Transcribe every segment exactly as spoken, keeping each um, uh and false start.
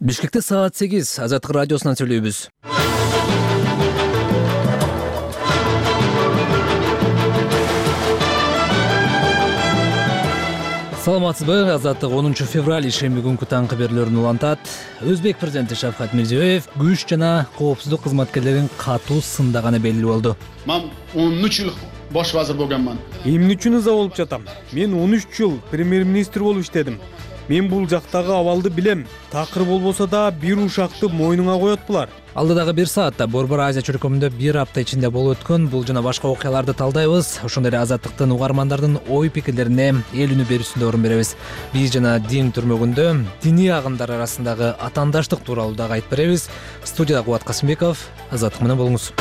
Бишкекте саат сегиз Азаттык радиосунан сүйлөйбүз. Саламатсызбы? Азаттык онунчу февраль ишемби күнкү таңкы берүүлөрүн улантат. Өзбек президенти Шавкат Мирзиёев күч жана коопсуздук кызматкерлерин катуу сындаганы белгилүү болду. Мен он үч жыл бош вазир болгонмун. Эмне үчүн ыза болуп жатам? Мен он үч жыл премьер-министр болуп иштедим. Мен бул жактагы абалды билем. Такыр болбосо да бир ушакты мойнуңа коет булар. Алдыдагы бир саатта Борбор Азия чөлкөмүндө бир апта ичинде болуп өткөн бул жана башка окуяларды талдайбыз. Ошондой эле Азаттыктын угармандардын ой пикирлерине эл үнү берүүсүндө орун беребиз. Биз жана дин түрмөгүндө диний агымдар арасындагы атаандаштык тууралуу дагы айтып беребиз. Студияда Кубат Касымбеков, Азаттык менен болуңуз.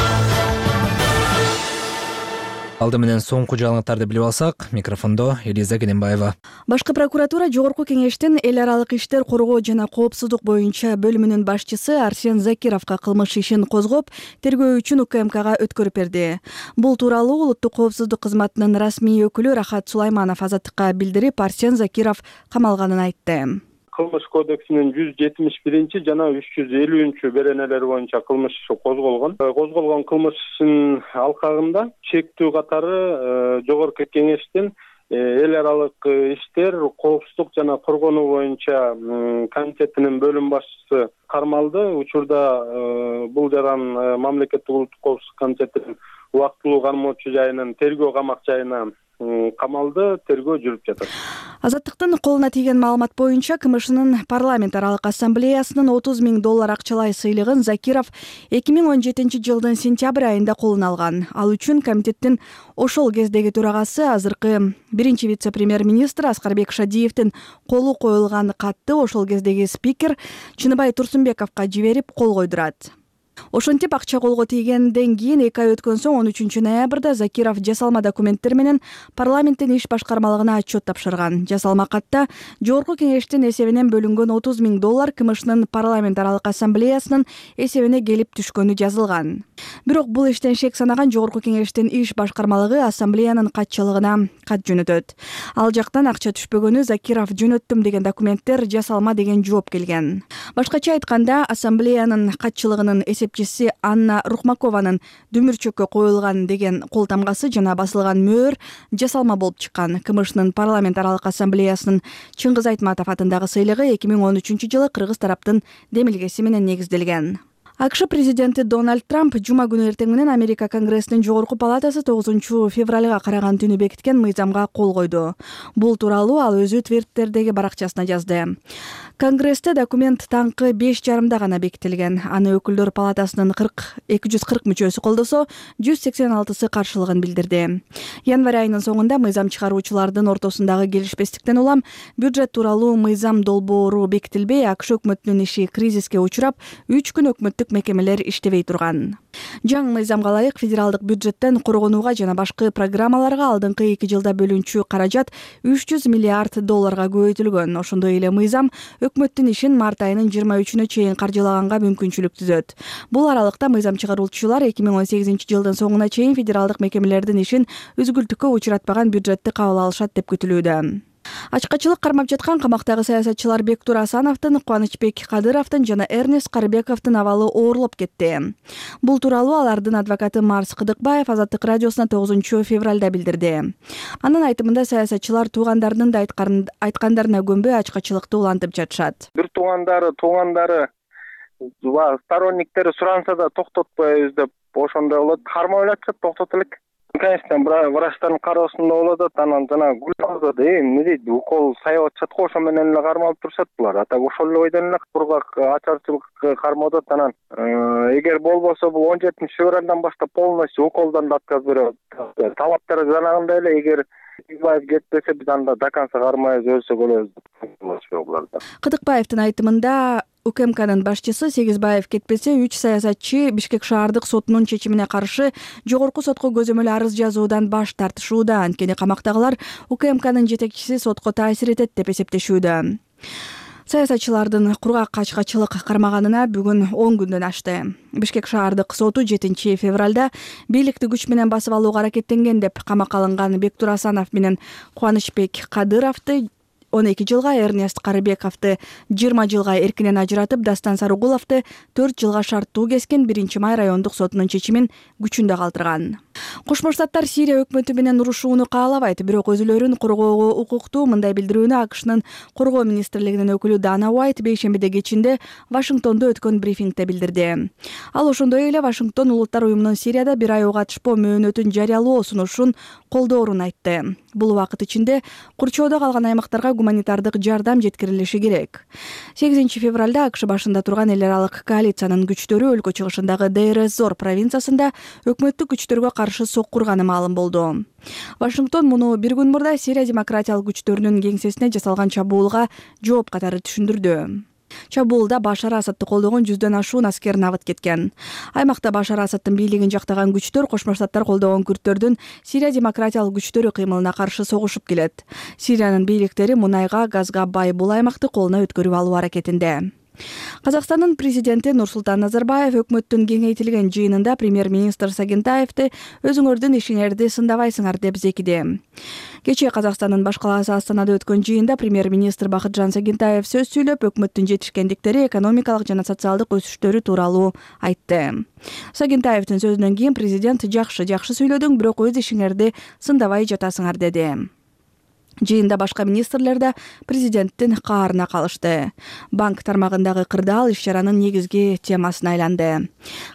Алды менен соңку жаңылыктарды билип алсак, микрофондо Элиза Кененбаева. Башкы прокуратура Жогорку кеңештин эл аралык иштер коргоо жана коопсуздук боюнча бөлүмүнүн башчысы Арсен Закировго кылмыш ишин козгоп, тергөө үчүн УКМКга өткөрүп берди. Бул тууралуу Улуттук коопсуздук кызматынын расмий өкүлү Рахат Сулайманов Азаттыкка билдирип, Арсен Закиров камалганын айтты. Кылмыш кодексинин жүз жетимиш биринчи жана үч жүз элүүнчү беренелери боюнча кылмыш иши козголгон. Козголгон кылмыш ишинин алкагында чектүү катары Жогорку кеңештин эл аралык иштер, коопсуздук жана коргонуу боюнча комитетинин бөлүм башчысы кармалды. Учурда бул жаран Мамлекеттик улуттук коопсуздук комитетинин убактылуу кармоочу жайынын тергөө камак жайына камалды, тергөө жүрүп жатат. Азаттыктын колуна тийген маалымат боюнча КМШнын парламент аралык ассамблеясынын отуз миң доллар акчалай сыйлыгын Закиров эки миң он жетинчи жылдын сентябрь айында колуна алган. Ал үчүн комитеттин ошол кездеги төрагасы, азыркы биринчи вице-премьер-министр Аскарбек Шадиевдин колу коюлган катты ошол кездеги спикер Чыныбай Турсунбековго жиберип кол койдурат. Ошентип акча колго тийгенден кийин эки ай өткөн соң он үчүнчү ноябрда Закиров жасалма документтер менен парламенттин иш башкармалыгына отчет тапшырган. Жасалма катта Жогорку кеңештин эсебинен бөлүнгөн отуз миң доллар КМШнын парламент аралык ассамблеясынын эсебине келип түшкөнү жазылган. Бирок бул иштен шек санаган Жогорку кеңештин иш башкармалыгы ассамблеянын катчылыгына кат жөнөтөт. Ал жактан акча түшпөгөнү Закиров жөнөттүм деген документтер жасалма деген жооп келген. Башкача айтканда, ассамблеянын катчылыгынын эсепчиси Анна Рухмакованын дүмүрчөккө коюлган деген кол тамгасы жана басылган мөөр жасалма болуп чыккан. КМШнын парламент аралык ассамблеясынын Чыңгыз Айтматов атындагы сыйлыгы эки миң он үчүнчү жылы кыргыз тараптын демилгеси менен негизделген. АКШ президенти Дональд Трамп жума күнү эртең менен Америка Конгрессинин жогорку палатасы тогузунчу февралга караган түнү бекиткен мыйзамга кол койду. Бул тууралуу ал өзү Твиттердеги баракчасына жазды. Конгрессте документ таңкы беш жарымда гана бекитилген. Аны өкүлдөр палатасынын эки жүз кырк мүчөсү колдосо, жүз сексен алтысы каршылыгын билдирди. Январь айынын соңунда мыйзам чыгаруучулардын ортосундагы келишпестиктен улам бюджет тууралуу мыйзам долбоору бекитилбей, АКШ өкмөтүнүн иши кризиске учурап, үч күн өкмөттүк мекемелер иштебей турган. Жаңы мыйзамга ылайык федералдык бюджеттен коргонууга жана башкы программаларга алдыңкы эки жылда бөлүнчү каражат үч жүз миллиард долларга көбөйтүлгөн. Ошондой эле мыйзам өкмөттүн ишин март айынын жыйырма үчүнө чейин каржылаганга мүмкүнчүлүк түзөт. Бул аралыкта мыйзам чыгаруучулар эки миң он сегизинчи жылдын соңуна чейин федералдык мекемелердин ишин үзгүлтүккө учуратпаган бюджетти кабыл алышат деп күтүлүүдө. Ачкачылык кармап жаткан камактагы саясатчылар Бектур Асановдун, Кубанычбек Кадыровдун жана Эрнест Карыбековдун абалы оорлоп кетти. Бул тууралуу алардын адвокаты Марс Кыдыкбаев Азаттык радиосуна тогузунчу февралда билдирди. Анын айтымында саясатчылар туугандарынын да айткандарына көнбөй ачкачылыкты улантып жатышат. Бир туугандары, туугандары сторонниктери суранса да токтотпойбуз деп ошондой болот. Кармап жатышат, токтотулук. Конечно, врачтардын кароосунда болот, анан жана гүлдөрдө да эмне дейт, укол сайып атышат го, ошо менен эле кармалып турушат булар. А так ошол эле бойдон эле кургак ачарчылык кармап атат. Анан эгер болбосо бул он жетинчи февралдан баштап полностью уколдон да отказ берет. Талаптар жанагындай эле, эгер Кыдыкбаев кетпесе биз анда до конца кармайбыз, өлсөк өлөбүз. Кыдыкбаевдин айтымында УКМКнын башчысы Сегизбаев кетпесе, үч саясатчы Бишкек шаардык сотунун чечимине каршы жогорку сотко көзөмөл арыз жазуудан баш тартышууда. Анткени камактагылар УКМКнын жетекчиси сотко таасир этет деп эсептешүүдө. Саясатчылардын кургак ачкачылык кармаганына бүгүн он күндөн ашты. Бишкек шаардык соту жетинчи февралда бийликти күч менен басып алууга аракеттенген деп камакка алынган Бектур Асанов менен Кубанычбек Кадыровду он эки жылга, Эрнест Карыбековду жыйырма жылга эркинен ажыратып, Дастан Сарыгуловду төрт жылга шарттуу кескен биринчи май райондук сотунун чечимин күчүндө калтырган. Кошмо Штаттар Сирия өкмөтү менен урушууну каалабайт, бирок өзүлөрүн коргоого укуктуу. Мындай билдирүүнү АКШнын коргоо министрлигинин өкүлү Дана Уайт бейшембиде кечинде Вашингтондо өткөн брифингде билдирди. Ал ошондой эле Вашингтон Улуттар уюмунун Сирияда бир ай катышпоо мөөнөтүн жарыялоо сунушун колдоорун айтты. Бул убакыт ичинде курчоодо калган аймактарга гуманитардык жардам жеткирилиши керек. сегизинчи февралда АКШ башында турган эл аралык коалициянын күчтөрү өлкө чыгышындагы Дейр-эз-Зор провинциясында өкмөттүк күчтөргө каршы соккурганы маалым болду. Вашингтон муну бир күн мурда Сирия демократиялык күчтөрүнүн кеңсесине жасалган чабуулга жооп катары түшүндүрдү. Чабуулда Башар Асадты колдогон жүздөн ашуун аскер набыт кеткен. Аймакта Башар Асадтын бийлигин жактаган күчтөр Кошмо Штаттар колдогон күрттөрдүн Сирия демократиялык күчтөрү кыймылына каршы согушуп келет. Сириянын бийликтери мунайга, газга бай бул аймакты колуна өткөрүп алуу аракетинде. Казакстандын президенти Нурсултан Назарбаев өкмөттүн кеңейтилген жыйынында премьер-министр Сагентаевди өзүңөрдүн ишиңерди сындабайсыңар деп зекиди. Кечээ Казакстандын баш калаасы Астанада өткөн жыйында премьер-министр Бакытжан Сагентаев сөз сүйлөп, өкмөттүн жетишкендиктери, экономикалык жана социалдык өсүштөрү тууралуу айтты. Сагентаевдин сөзүнөн кийин президент жакшы жакшы сүйлөдүң, бирок өз ишиңерди сындабай жатасыңар деди. Жыйында башка министрлер да президенттин каарына калышты. Банк тармагындагы кырдаал иш-чаранын негизги темасына айланды.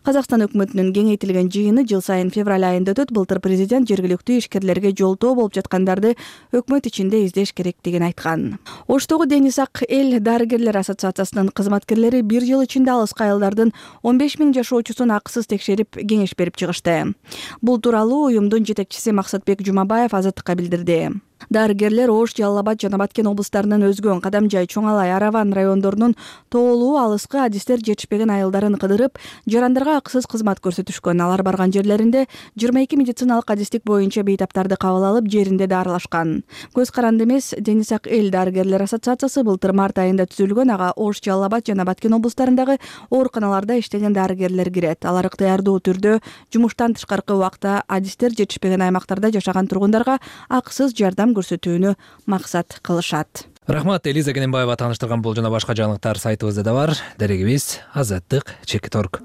Казакстан өкмөтүнүн кеңейтилген жыйыны жыл сайын февраль айында өтөт. Былтыр президент жергиликтүү ишкерлерге жолтоо болуп жаткандарды өкмөт ичинде издеш керектигин айткан. Оштогу Денис Ак эл дарыгерлер ассоциациясынын кызматкерлери бир жыл ичинде алыска айылдардын он беш миң жашоочусун акысыз текшерип, кеңеш берип чыгышты. Бул тууралуу уюмдун жетекчиси Максатбек Жумабаев Азаттыкка билдирди. Дарыгерлер Ош, Жалал Абад жана Баткен облустарынын өзгөн Кадамжай, Чоңалай, Араван райондорунун тоолуу алыскы адистер жетишпеген айылдарын кыдырып, жарандарга акысыз кызмат көрсөтүшкөн. Алар барган жерлеринде жыйырма эки медициналык адистик боюнча бейтаптарды кабыл алып, жеринде дарылашкан. Көз каранды эмес, Денис Ак эл дарыгерлер ассоциациясы былтыр март айында түзүлгөн. Ага Ош, Жалал Абад жана Баткен облустарындагы ооруканаларда иштеген дарыгерлер кирет. Алар ыктыярдуу түрдө жумуштан тышкаркы убакта адистер жетишпеген аймактарда жашаган тургундарга акысыз жардам көрсөтүүнү максат кылышат. Рахмат, Элиза Кененбаева тааныштырган бул жана башка жаңылыктар сайтыбызда да бар. Дарегибиз азаттык чекит точка орг.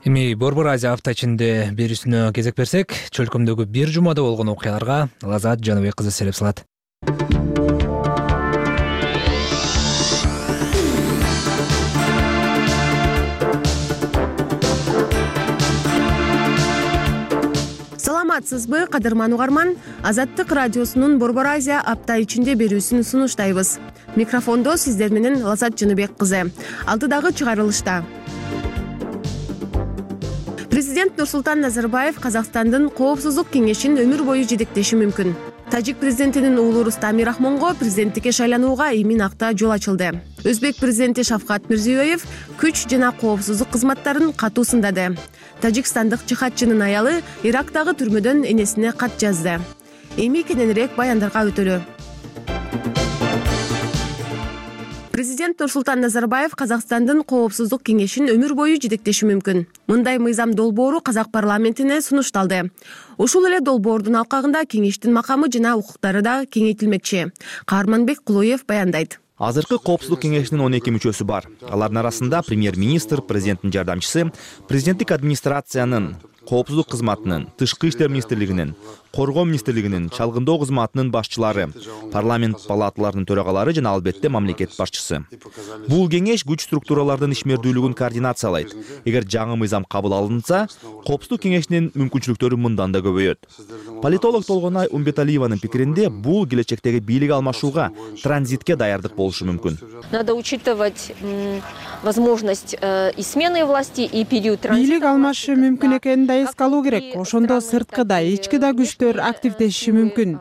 Эми Борбор Азия апта ичинде берүүсүнө кезек берсек, чөлкөмдөгү бир жумада болгон окуяларга Лазат Жаныбек кызы сереп салат. Саламатсызбы, кадырман угарман? Азаттык радиосунун Борбор Азия апта ичинде берүүсүн сунуштайбыз. Микрофондо сиздер менен Лазат Жаныбек кызы. Алдыдагы чыгарылышта Президент Нурсултан Назарбаев Казакстандын Коопсуздук кеңешин өмүр бою жетектеши мүмкүн. Тажик президентинин уулу Рустам Мирахмонго президенттикке шайланууга эмин акта жол ачылды. Өзбек президенти Шавкат Мирзиёев күч жана коопсуздук кызматтарын катуу сындады. Тажикстандык жихадчынын аялы Ирактагы түрмөдөн энесине кат жазды. Эми кененирээк баяндарга өтөлү. Президент Нурсултан Назарбаев Казакстандын Коопсуздук кеңешин өмүр бою жетектеши мүмкүн. Мындай мыйзам долбоору Казак парламентине сунушталды. Ушул эле долбоордун алкагында кеңештин макамы жана укуктары да кеңейтилмекчи. Каарманбек Кулуев баяндайт. Азыркы Коопсуздук кеңешинин он эки мүчөсү бар. Алардын арасында премьер-министр, президенттин жардамчысы, президенттик администрациянын, Коопсуздук кызматынын, Тышкы иштер министрлигинин, Коргоо министрлигинин, Чалгындоо кызматынын башчылары, парламент палаталарынын төрагалары жана албетте мамлекет башчысы. Бул кеңеш күч структуралардын ишмердүүлүгүн координациялайт. Эгер жаңы мыйзам кабыл алынса, Коопсуздук кеңешинин мүмкүнчүлүктөрү мындан да көбөйөт. Политолог Толгонай Умбеталиеванын пикиринде, бул келечектеги бийлик алмашууга, транзитке даярдык болушу мүмкүн. Надо учитывать возможность и смены власти, и период транзита. Бийлик алмашы мүмкүн экенин да эске алуу керек. Ошондо сырткы да, ички да күчтөр активдешиши мүмкүн.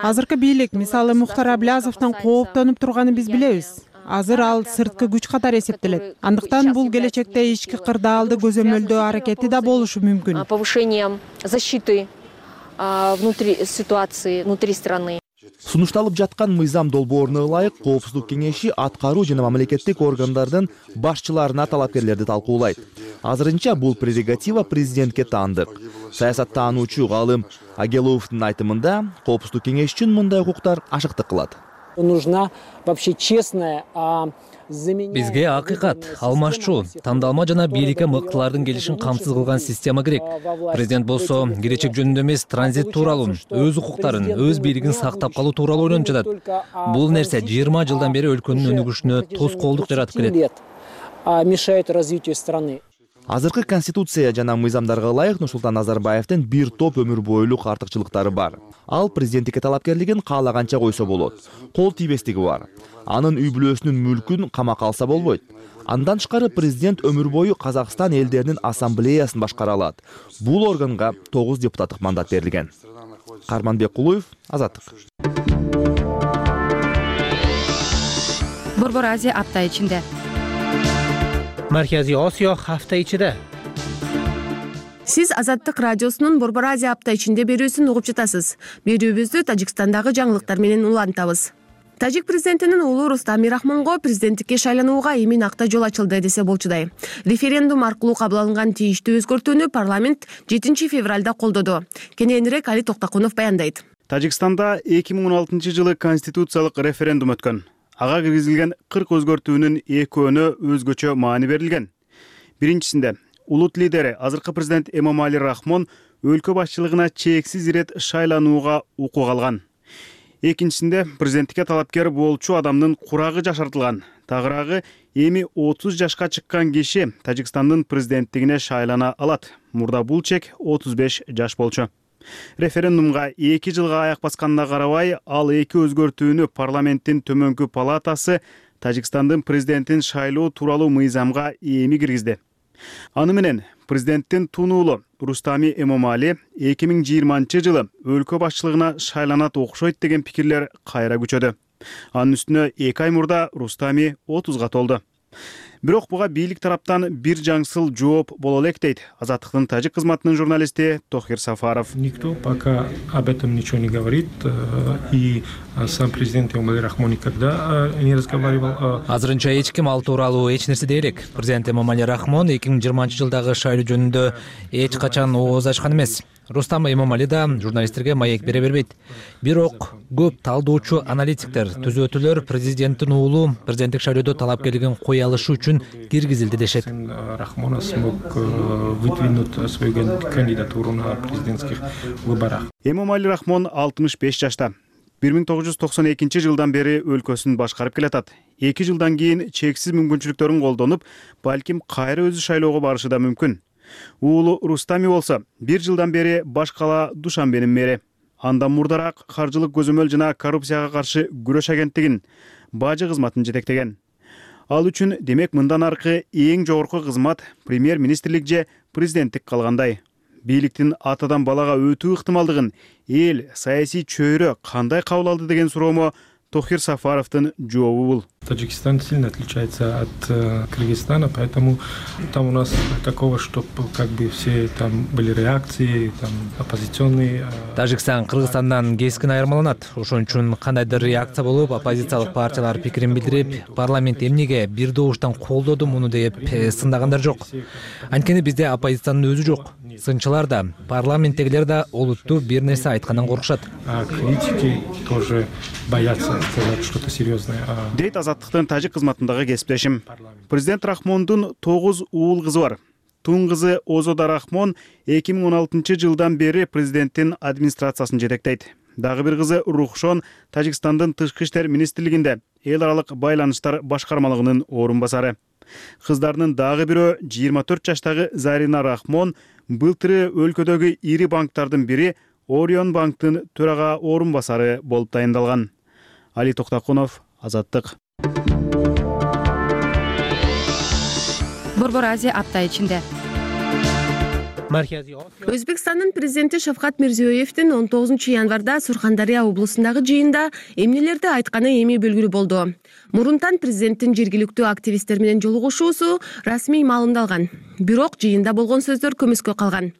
Азыркы бийлик, мисалы Мухтар Аблязовдон кооптонуп турганын биз билебиз. Азыр ал сырткы күч катары эсептелет. Андыктан бул келечекте ички кырдаалды көзөмөлдөө аракети да болушу мүмкүн. Повышением защиты внутри ситуации, внутри страны. Сунушталып жаткан мыйзам долбооруна ылайык Коопсуздук кеңеши аткаруу жана мамлекеттик органдардын башчыларына талапкерлерди талкуулайт. Азырынча бул прерогатива президентке таандык. Саясаттануучу Галым Агеловдун айтымында, Коопсуздук кеңеш үчүн мындай укуктар ашыктык кылат. Нужна вообще честная, Бизге акыйкат, алмашчу, тандалма жана бийликке мыктылардын келишин камсыз кылган система керек. Президент болсо келечек жөнүндө эмес, транзит тууралуу, өз укуктарын, өз бийлигин сактап калуу тууралуу ойлонуп жатат. Бул нерсе жыйырма жылдан бери өлкөнүн өнүгүшүнө тоскоолдук жаратып келет. Мешает развитию страны. Азыркы конституция жана мыйзамдарга ылайык Нурсултан Назарбаевдин бир топ өмүр бойлук артыкчылыктары бар. Ал президенттикке талапкерлигин каалаганча койсо болот. Кол тийбестиги бар. Анын үй бүлөсүнүн мүлкүн камакка алса болбойт. Андан тышкары президент өмүр бою Казакстан элдеринин ассамблеясын башкара алат. Бул органга тогуз депутаттык мандат берилген. Карманбек Кулуев, Азаттык. Борбор Азия апта ичинде. Markaziy Osiyo hafta ichida. Сиз Азаттык радиосунун Борбор Азия апта ичинде берүүсүн угуп жатасыз. Берүүбүздү Тажикстандагы жаңылыктар менен улантабыз. Тажик президентинин уулу Рустам Мирахмонго президенттикке шайланууга эмин акта жол ачылды десе болчудай. Референдум аркылуу кабыл алынган тийиштүү өзгөртүүнү парламент жетинчи февралда колдоду. Кененирээк Али Токтокунов баяндайт. Тажикстанда эки миң он алтынчы жылы конституциялык референдум өткөн. Ага киргизилген кырк өзгөртүүнүн экөөнө өзгөчө маани берилген. Биринчисинде улут лидери азыркы президент Эмомали Рахмон өлкө башчылыгына чексиз ирет шайланууга укук алган. Экинчисинде президенттикке талапкер болчу адамдын курагы жашартылган. Тагыраагы эми отуз жашка чыккан киши Тажикстандын президенттигине шайлана алат. Мурда бул чек отуз беш жаш болчу. Референдумга эки жылга аяк басканына карабай, ал эки өзгөртүүнү парламенттин төмөнкү палатасы Тажикстандын президентин шайлоо тууралуу мыйзамга эми киргизди. Аны менен президенттин тунуулу Рустами Эмомали эки миң жыйырманчы жылы өлкө башчылыгына шайланат окшойт деген пикирлер кайра күчөдү. Анын үстүнө эки ай мурда Рустами отузга толду. Бирок буга бийлик тараптан бир жаңсыл жооп боло элек дейт Азаттыктын тажик кызматынын журналисти Тохир Сафаров. Никто пока об этом ничего не говорит, и сам президент Эмомали Рахмон никогда не разговаривал. Азырынча эч ким ал тууралуу эч нерсе дей элек. Президент Эмомали Рахмон эки миң жыйырманчы жылдагы шайлоо жөнүндө эч качан ооз ачкан эмес. Рустам Эмомали да журналисттерге маек бере бербейт. Бирок көп талдоочу аналитиктер, түзөтүүлөр президенттин уулу президенттик шайлоодо талапкерлигин кое алышы үчүн киргизилди дешет. Рахмон смог выдвинуть свою кандидатуру на президентских выборах. Эмомали Рахмон алтымыш беш жашта. бир миң тогуз жүз токсон экинчи жылдан бери өлкөсүн башкарып келатат. эки жылдан кийин чексиз мүмкүнчүлүктөрүн колдонуп, балким кайра өзү шайлоого барышы да мүмкүн. Уулу Рустами болсо бир жылдан бери баш кала Душанбенин мэри. Андан мурдараак каржылык көзөмөл жана коррупцияга каршы күрөш агенттигин бажы кызматын жетектеген. Ал үчүн демек мындан аркы эң жогорку кызмат премьер-министрлик же президенттик калгандай. Бийликтин атадан балага өтүү ыктымалдыгын эл саясий чөйрө кандай кабыл алды деген суроомо Тохир Сафаровдун жообу бул. Таджикистан сильно отличается от э, Кыргызстана, поэтому там у нас такого, чтобы как бы все там были реакции, там оппозиционные. Э... Тажикстан Кыргызстандан кескин айырмаланат. Ошон үчүн кандайдыр реакция болуп, оппозициялык партиялар пикирин билдирип, парламент эмнеге бир добуштан колдоду муну деп сындагандар жок. Анткени бизде оппозициянын өзү жок. Сынчылар да, парламенттегилер да олуттуу бир нерсе айткандан коркушат. А критики тоже боятся сказать что-то серьезное. Дейт Азаттыктын тажик кызматындагы кесиптешим. Президент Рахмондун тогуз уул кызы бар. Тун кызы Озода Рахмон эки миң он алтынчы жылдан бери президенттин администрациясын жетектейт. Дагы бир кызы Рухшон Тажикстандын тышкы иштер министрлигинде эл аралык байланыштар башкармалыгынын орун басары. Кыздарынын дагы бирөө жыйырма төрт жаштагы Зарина Рахмон былтыры өлкөдөгү ири банктардын бири Орион банктын төрага орун басары болуп дайындалган. Али Токтокунов, Азаттык. Борбор Азия апта ичинде. Өзбекстандын президенти Шавкат Мирзиёевдин он тогузунчу январда Сурхандария облусундагы жыйында эмнелерди айтканы эми белгилүү болду. Мурунтан президенттин жергиликтүү активисттер менен жолугушуусу расмий маалымдалган. Бирок жыйында болгон сөздөр көмөскө калган.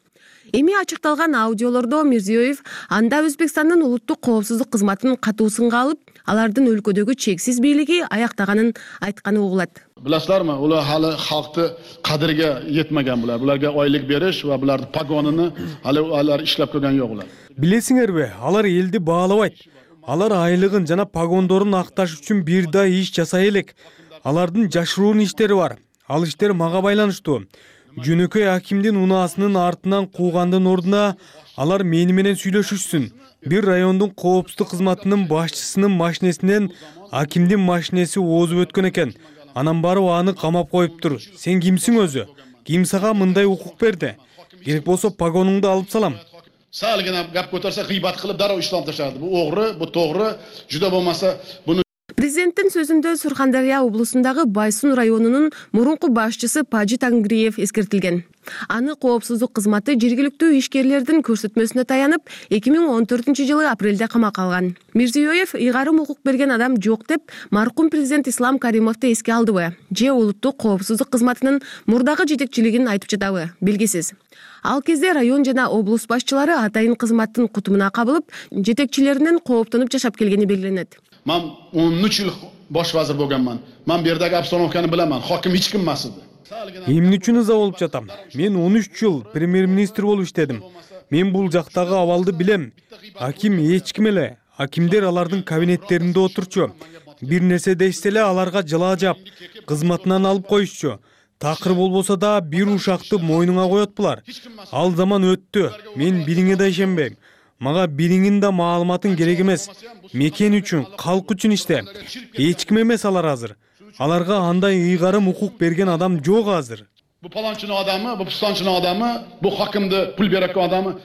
Эми ачыкталган аудиолордо Мирзиёев анда Өзбекстандын улуттук коопсуздук кызматын катуу сынга алып, алардын өлкөдөгү чексиз бийлиги аяктаганын айтканы угулат. Bilasizlarmi, ular hali xalqni qadriga yetmagan bular. Bularga oylik berish va bularning pagonini hali ular ishlab ko'rgan yo'q ular. Билесиңерби, алар элди баалабайт. Алар айлыгын жана погондорун акташ үчүн бир да иш жасай элек. Алардын жашыруун иштери бар. Ал иштер мага байланыштуу. Жөнөкөй акимдин унаасынын артынан куугандын ордуна алар мени менен сүйлөшүшсүн. Бир райондун коопсуздук кызматынын башчысынын машинесинен акимдин машинеси оозуп өткөн экен. Анан барып аны камап коюптур. Сен кимсиң өзү? Ким сага мындай укук берди? Керек болсо погонуңду алып салам. Салгина гап көтөрсө гыйбат кылып дароо иштеп ташады. Бу огры, бу тогры, жүдө болмаса буну. Президенттин сөзүндө Сурхандария облусундагы Байсун районунун мурунку башчысы Паджи Тангриев эскертилген. Аны коопсуздук кызматы жергиликтүү ишкерлердин көрсөтмөсүнө таянып, эки миң он төртүнчү жылы апрелде камакка алган. Мирзиёев ыйгарым укук берген адам жок деп маркум президент Ислам Каримовду эске алдыбы? Же улуттук коопсуздук кызматынын мурдагы жетекчилигин айтып жатабы? Белгисиз. Ал кезде район жана облус башчылары атайын кызматтын кутумуна кабылып, жетекчилеринен кооптонуп жашап келгени белгиленет. Мен он үч жыл бош вазир болгонман. Мен бердеги обстановканы биламан. Хаким эч ким эмес эди. Эмне үчүн ыза болуп жатам? Мен он үч жыл премьер-министр болуп иштедим. Мен бул жактагы абалды билем. Аким эч ким эле. Акимдер алардын кабинеттеринде отурчу. Бир нерсе дешсе эле аларга жылаа жап, кызматынан алып коюшчу. Такыр болбосо да бир ушакты мойнуңа коет булар. Ал заман өттү. Мен бириңе да ишенбейм. Мага бириңин да маалыматын керек эмес. Мекен үчүн, калк үчүн иште. Эч ким эмес алар азыр. Аларга андай ыйгарым укук берген адам жок азыр. Бу паланчынын адамы, бу пустанчынын адамы, бу хакимди пул берек адамы.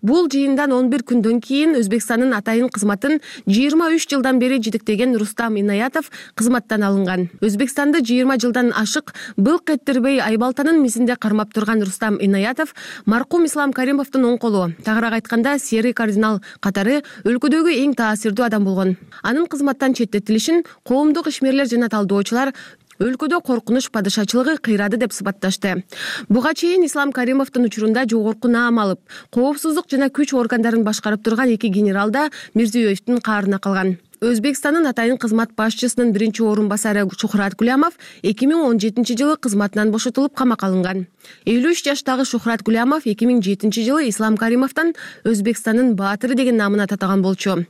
Бул жыйындан он бир күндөн кийин Өзбекстандын атайын кызматын жыйырма үч жылдан бери жетектеген Рустам Инаятов кызматтан алынган. Өзбекстанды жыйырма жылдан ашык былк эттербей Айбалтанын мисинде кармап турган Рустам Инаятов маркум Ислам Каримовдун оң колу, тагыраак айтканда серый кардинал катары өлкөдөгү эң таасирдүү адам болгон. Анын кызматтан четтетилишин коомдук ишмерлер жана талдоочулар өлкөдө коркунуч падышачылыгы кыйрады деп сыпатташты. Буга чейин Ислам Каримовдун учурунда жогорку наам алып, коопсуздук жана күч органдарын башкарып турган эки генерал да Мирзиёевдин каарына калган. Өзбекстандын атайын кызмат башчысынын биринчи орун басары Шухрат Гулямов эки миң он жетинчи жылы кызматынан бошотулуп камакка алынган. элүү үч жаштагы Шухрат Гулямов эки миң жетинчи жылы Ислам Каримовдон Өзбекстандын баатыры деген намына татаган болчу.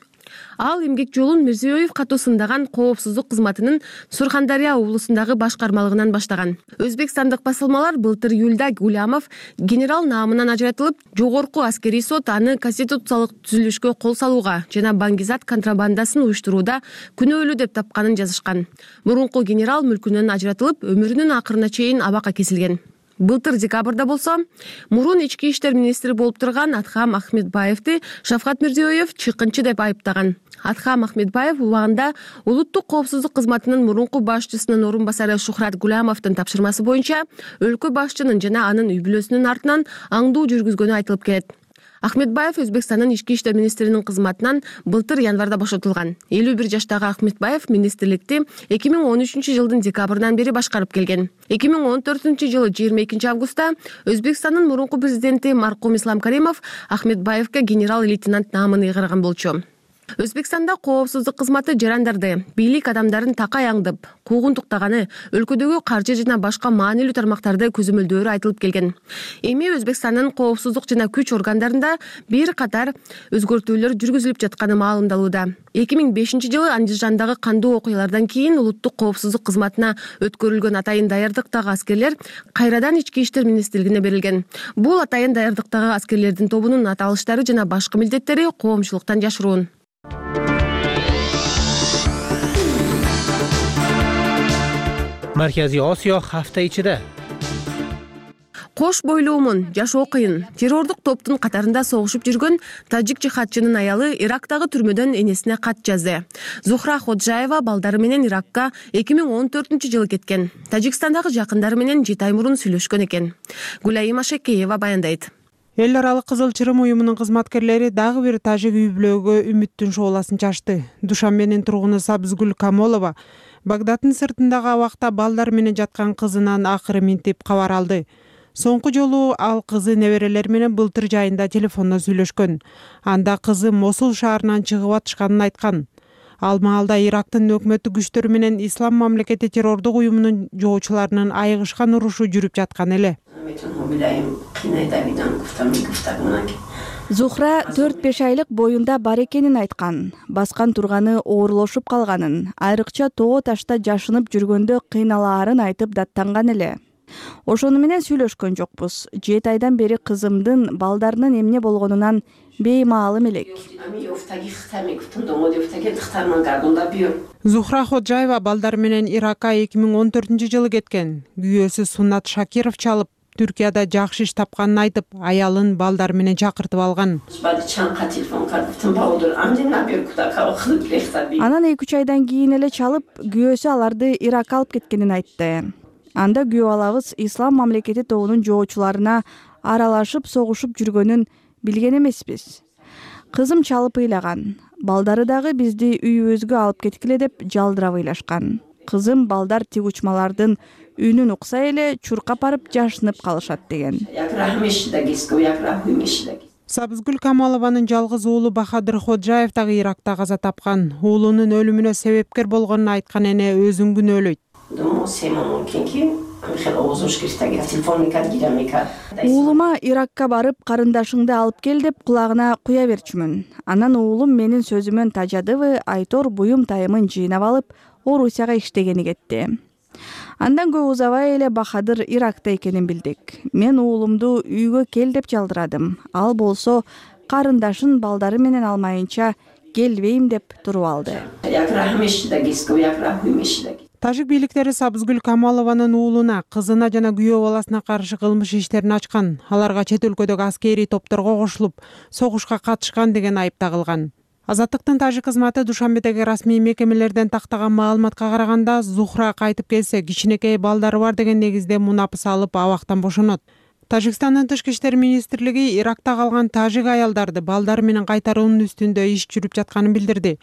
Ал эмгек жолун Мирзиёев катуу сындаган коопсуздук кызматынын Сурхандария облусундагы башкармалыгынан баштаган. Өзбекстандык басылмалар былтыр июлда Гулямов генерал наамынан ажыратылып, жогорку аскерий сот аны конституциялык түзүлүшкө кол салууга жана баңгизат контрабандасын уюштурууда күнөөлүү деп тапканын жазышкан. Мурунку генерал мүлкүнөн ажыратылып, өмүрүнүн акырына чейин абакка кесилген. Былтыр декабрда болсо, мурун ички иштер министри болуп турган Атхам Ахмедбаевди Шавкат Мирзиёев чыккынчы деп айыптаган. Атхам Ахмедбаев убагында улуттук коопсуздук кызматынын мурунку башчысынын орун басары Шухрат Гулямовдун тапшырмасы боюнча өлкө башчынын жана анын үй бүлөсүнүн артынан аңдуу жүргүзгөнү айтылып келет. Ахмедбаев Өзбекстандын ички иштер министринин кызматынан былтыр январда бошотулган. элүү бир жаштагы Ахмедбаев министрликти эки миң он үчүнчү жылдын декабрынан бери башкарып келген. эки миң он төртүнчү жылы жыйырма экинчи августта Өзбекстандын мурунку президенти маркум Ислам Каримов Ахмедбаевге генерал-лейтенант наамын ыйгарган болчу. Өзбекстанда коопсуздук кызматы жарандарды, бийлик адамдарын такай аңдып, куугунтуктаганы, өлкөдөгү каржы жана башка маанилүү тармактарды көзөмөлдөөрү айтылып келген. Эми Өзбекстандын коопсуздук жана күч органдарында бир катар өзгөртүүлөр жүргүзүлүп жатканы маалымдалууда. эки миң бешинчи жылы Андижандагы кандуу окуялардан кийин улуттук коопсуздук кызматына өткөрүлгөн атайын даярдыктагы аскерлер кайрадан ички иштер министрлигине берилген. Бул атайын даярдыктагы аскерлердин тобунун аталыштары жана башкы милдеттери коомчулуктан жашыруун. Марказий Осиё hafta ичиде. Кош бойлуумун, жашоо кыйын. Террордук топтун катарында согушуп жүргөн тажик жихадчынын аялы Ирактагы түрмөдөн энесине кат жазды. Зухра Ходжаева балдары менен Иракка эки миң он төртүнчү жылы кеткен. Тажикстандагы жакындары менен жети ай мурун сүйлөшкөн экен. Гулайым Ашекеева баяндайт. Эл аралык Кызыл Чырым уюмунун кызматкерлери дагы бир тажик үй бүлөгө үмүттүн шооласын чачты. Душанбенин тургуну Сабызгүл Камолова Багдаддын сыртындагы абакта балдар менен жаткан кызынан акыры минтип кабар алды. Соңку жолу ал кызы неберелери менен былтыр жайында телефондо сүйлөшкөн. Анда кызы Мосул шаарынан чыгып атышканын айткан. Ал маалда Ирактын өкмөттүк күчтөрү менен Ислам мамлекети террордук уюмунун жоочуларынын айыгышкан урушу жүрүп жаткан эле. Зухра төрт беш айлык боюнда бар экенин айткан. Баскан турганы оорлошуп калганын, айрыкча тоо ташта жашынып жүргөндө кыйналаарын айтып даттанган эле. Ошону менен сүйлөшкөн жокпуз. жети айдан бери кызымдын балдарынын эмне болгонунан беймаалым элек. Зухра Ходжаева балдары менен Иракка эки миң он төртүнчү жылы кеткен. Күйөөсү Суннат Шакиров чалып, Түркияда жакшы иш тапканын айтып, аялын балдары менен чакыртып алган. Анан эки үч айдан кийин эле чалып, күйөөсү аларды Иракка алып кеткенин айтты. Анда күйөө алабыз Ислам мамлекети тобунун жоочуларына аралашып согушуп жүргөнүн билген эмеспиз. Кызым чалып ыйлаган. Балдары дагы бизди үйүбүзгө алып кеткиле деп жалдырап ыйлашкан. Кызым балдар тиг учмалардын үнүн укса эле чуркап барып жашынып калышат деген. Сабызгүл Камалованын жалгыз уулу Бахадыр Ходжаев дагы Иракта каза тапкан. Уулунун өлүмүнө себепкер болгонун айткан эне өзүн күнөөлөйт. Уулума Иракка барып карындашыңды алып кел деп кулагына куя берчүмүн. Анан уулум менин сөзүмөн тажадыбы, Айтор буюм тайымын жыйнап алып, Орусияга иштегени кетти. Андан көп узабай эле Бахадыр Иракта экенин билдик. Мен уулумду үйгө кел деп жалдырадым. Ал болсо карындашын балдары менен алмайынча келбейм деп туруп алды. Тажик бийликтери Сабызгүл Камалованын уулуна, кызына жана күйөө баласына каршы кылмыш иштерин ачкан. Аларга чет өлкөдөгү аскерий топторго кошулуп, согушка катышкан деген айып тагылган. Азаттыктын тажик кызматы Душанбедеги расмий мекемелерден тактаган маалыматка караганда, Зухра кайтып келсе, кичинекей балдары бар деген негизде мунапыс алып абактан бошонот. Тажикстандын тышкы иштер министрлиги Иракта калган тажик аялдарды балдары менен кайтаруунун үстүндө иш жүрүп жатканын билдирди.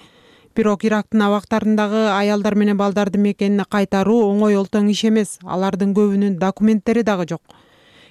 Бирок Ирактын абактарындагы аялдар менен балдарды мекенине кайтаруу оңой олтоң иш эмес. Алардын көбүнүн документтери дагы жок.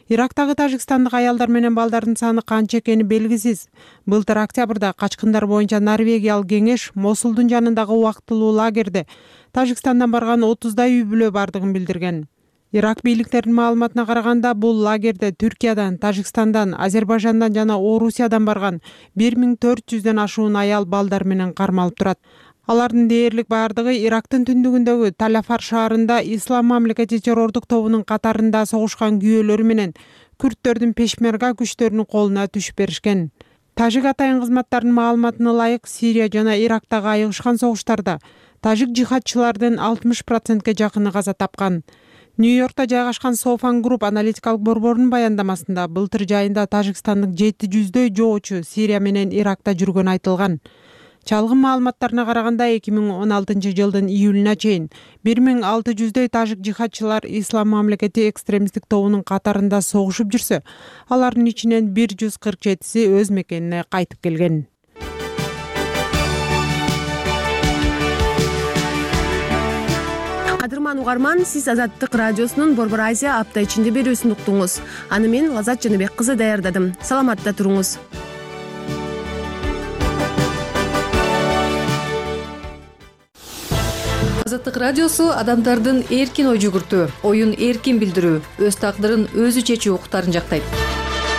Ирактагы тажикстандык аялдар менен балдардын саны канча экени белгисиз. Былтыр октябрда качкындар боюнча Норвегиялык кеңеш Мосулдун жанындагы убактылуу лагерде Тажикстандан барган отуздай үй бүлө бардыгын билдирген. Ирак бийликтеринин маалыматына караганда, бул лагерде Түркиядан, Тажикстандан, Азербайжандан жана Орусиядан барган бир миң төрт жүздөн ашуун аял балдар менен кармалып турат. Алардын дээрлик бардыгы Ирактын түндүгүндөгү Таляфар шаарында Ислам мамлекети террордук тобунун катарында согушкан күйөөлөрү менен күрттөрдүн пешмерга күчтөрүнүн колуна түшүп беришкен. Тажик атайын кызматтарынын маалыматына ылайык, Сирия жана Ирактагы айыгышкан согуштарда тажик жихадчылардын алтымыш процентке жакыны каза тапкан. Нью-Йоркто жайгашкан Софан Групп аналитикалык борборунун баяндамасында былтыр жайында Тажикстандык жети жүздөй жоочу Сирия менен Иракта жүргөнү айтылган. Чалгын маалыматтарына караганда эки миң он алтынчы жылдын июлуна чейин бир миң алты жүздөй тажик жихадчылар Ислам мамлекети экстремисттик тобунун катарында согушуп жүрсө, алардын ичинен бир жүз кырк жетиси өз мекенине кайтып келген. Кадырман угарман, сиз Азаттык радиосунун Борбор Азия апта ичинде берүүсүн уктуңуз. Аны мен Лазат Жаныбек кызы даярдадым. Саламатта туруңуз. Азаттык радиосу адамдардын эркин ой жүгүртүү, оюн эркин билдирүү, өз тагдырын өзү чечүү укуктарын жактайт.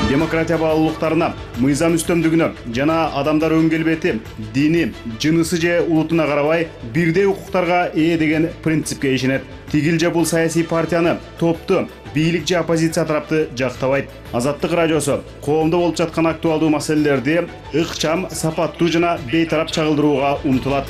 Демократия баалуулуктарына, мыйзам үстөмдүгүнө жана адамдар өн келбети, дини, жынысы же улутуна карабай бирдей укуктарга ээ деген принципке ишенет. Тигил же бул саясий партияны, топту, бийлик же оппозиция тарапты жактабайт. Азаттык радиосу коомдо болуп жаткан актуалдуу маселелерди ыкчам, сапаттуу жана бейтарап чагылдырууга умтулат.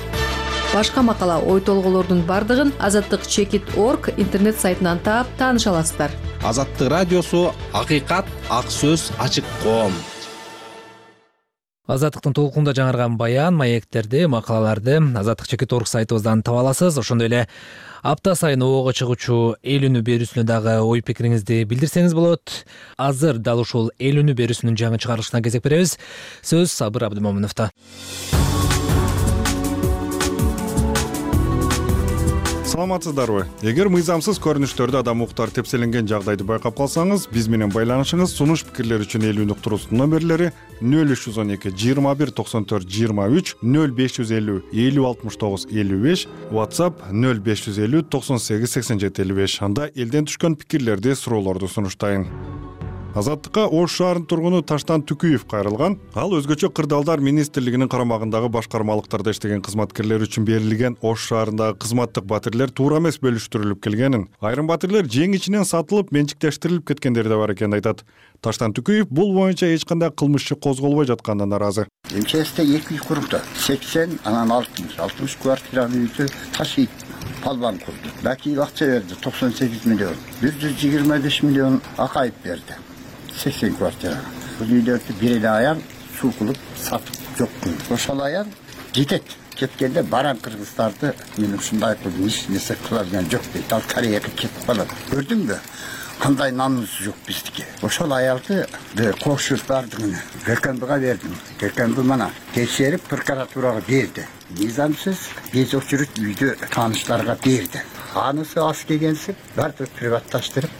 Башка макала, ой толголордун бардыгын азаттык чекит точка орг интернет сайтынан таап тааныша аласыздар. Азаттык радиосу акыйкат, ак сөз, ачык коом. Азаттыктын толкунда жаңырган баян, маектерди, макалаларды азаттык чекит точка орг сайтыбыздан таба аласыз. Ошондой эле апта сайын оого чыгуучу эл үнү берүүсүнө дагы ой пикириңизди билдирсеңиз болот. Азыр дал ушул эл үнү берүүсүнүн жаңы чыгарылышына кезек беребиз. Сөз Сабыр Абдымомуновдо. Саламатсыздарбы? Эгер мыйзамсыз көрүнүштөрдө адам укуктары тепселенген жагдайды байкап калсаңыз, биз менен байланышыңыз. Сунуш пикирлер үчүн эл үн уктуруусунун номерлери нөл үч жүз он эки жыйырма бир токсон төрт жыйырма үч, нөл беш жүз элүү элүү алтымыш тогуз элүү беш, WhatsApp нөл беш жүз элүү токсон сегиз сексен жети элүү беш. Анда элден түшкөн пикирлерди, суроолорду сунуштайын. Азаттыкка Ош шаарынын тургуну Таштан Түкүев кайрылган. Ал өзгөчө Кырдаалдар министрлигинин карамагындагы башкармалыктарда иштеген кызматкерлер үчүн берилген Ош шаарындагы кызматтык батирлер туура эмес бөлүштүрүлүп келгенин, айрым батирлер жең ичинен сатылып, менчиктештирилип кеткендери да бар экенин айтат. Таштан Түкүев бул боюнча эч кандай кылмыш иши козголбой жатканына наразы. МЧСте эки үй курду. сексен, анан алтымыш, алтымыш квартиранын үйдү ташыйт. Палбан курду. Баки акча берди, токсон сегиз миллион. бир жүз жыйырма беш миллион акайып берди. сексен квартира. Бул үйлөрдү бир эле аял суу кылып сатып жок кылды. Ошол аял жетет. Кеткенде баран кыргыздарды мен ушундай кылдым, эч нерсе кыла алган жок дейт. Ал Кореяга кетип калат. Көрдүңбү? Кандай намус жок биздики. Ошол аялды кошуп бардыгын ГКМБга бердим. ГКМБ мана текшерип прокуратурага берди. Мыйзамсыз биз очередь үйдө тааныштарга берди. Анысы аз келгенсип баардыгы приватташтырып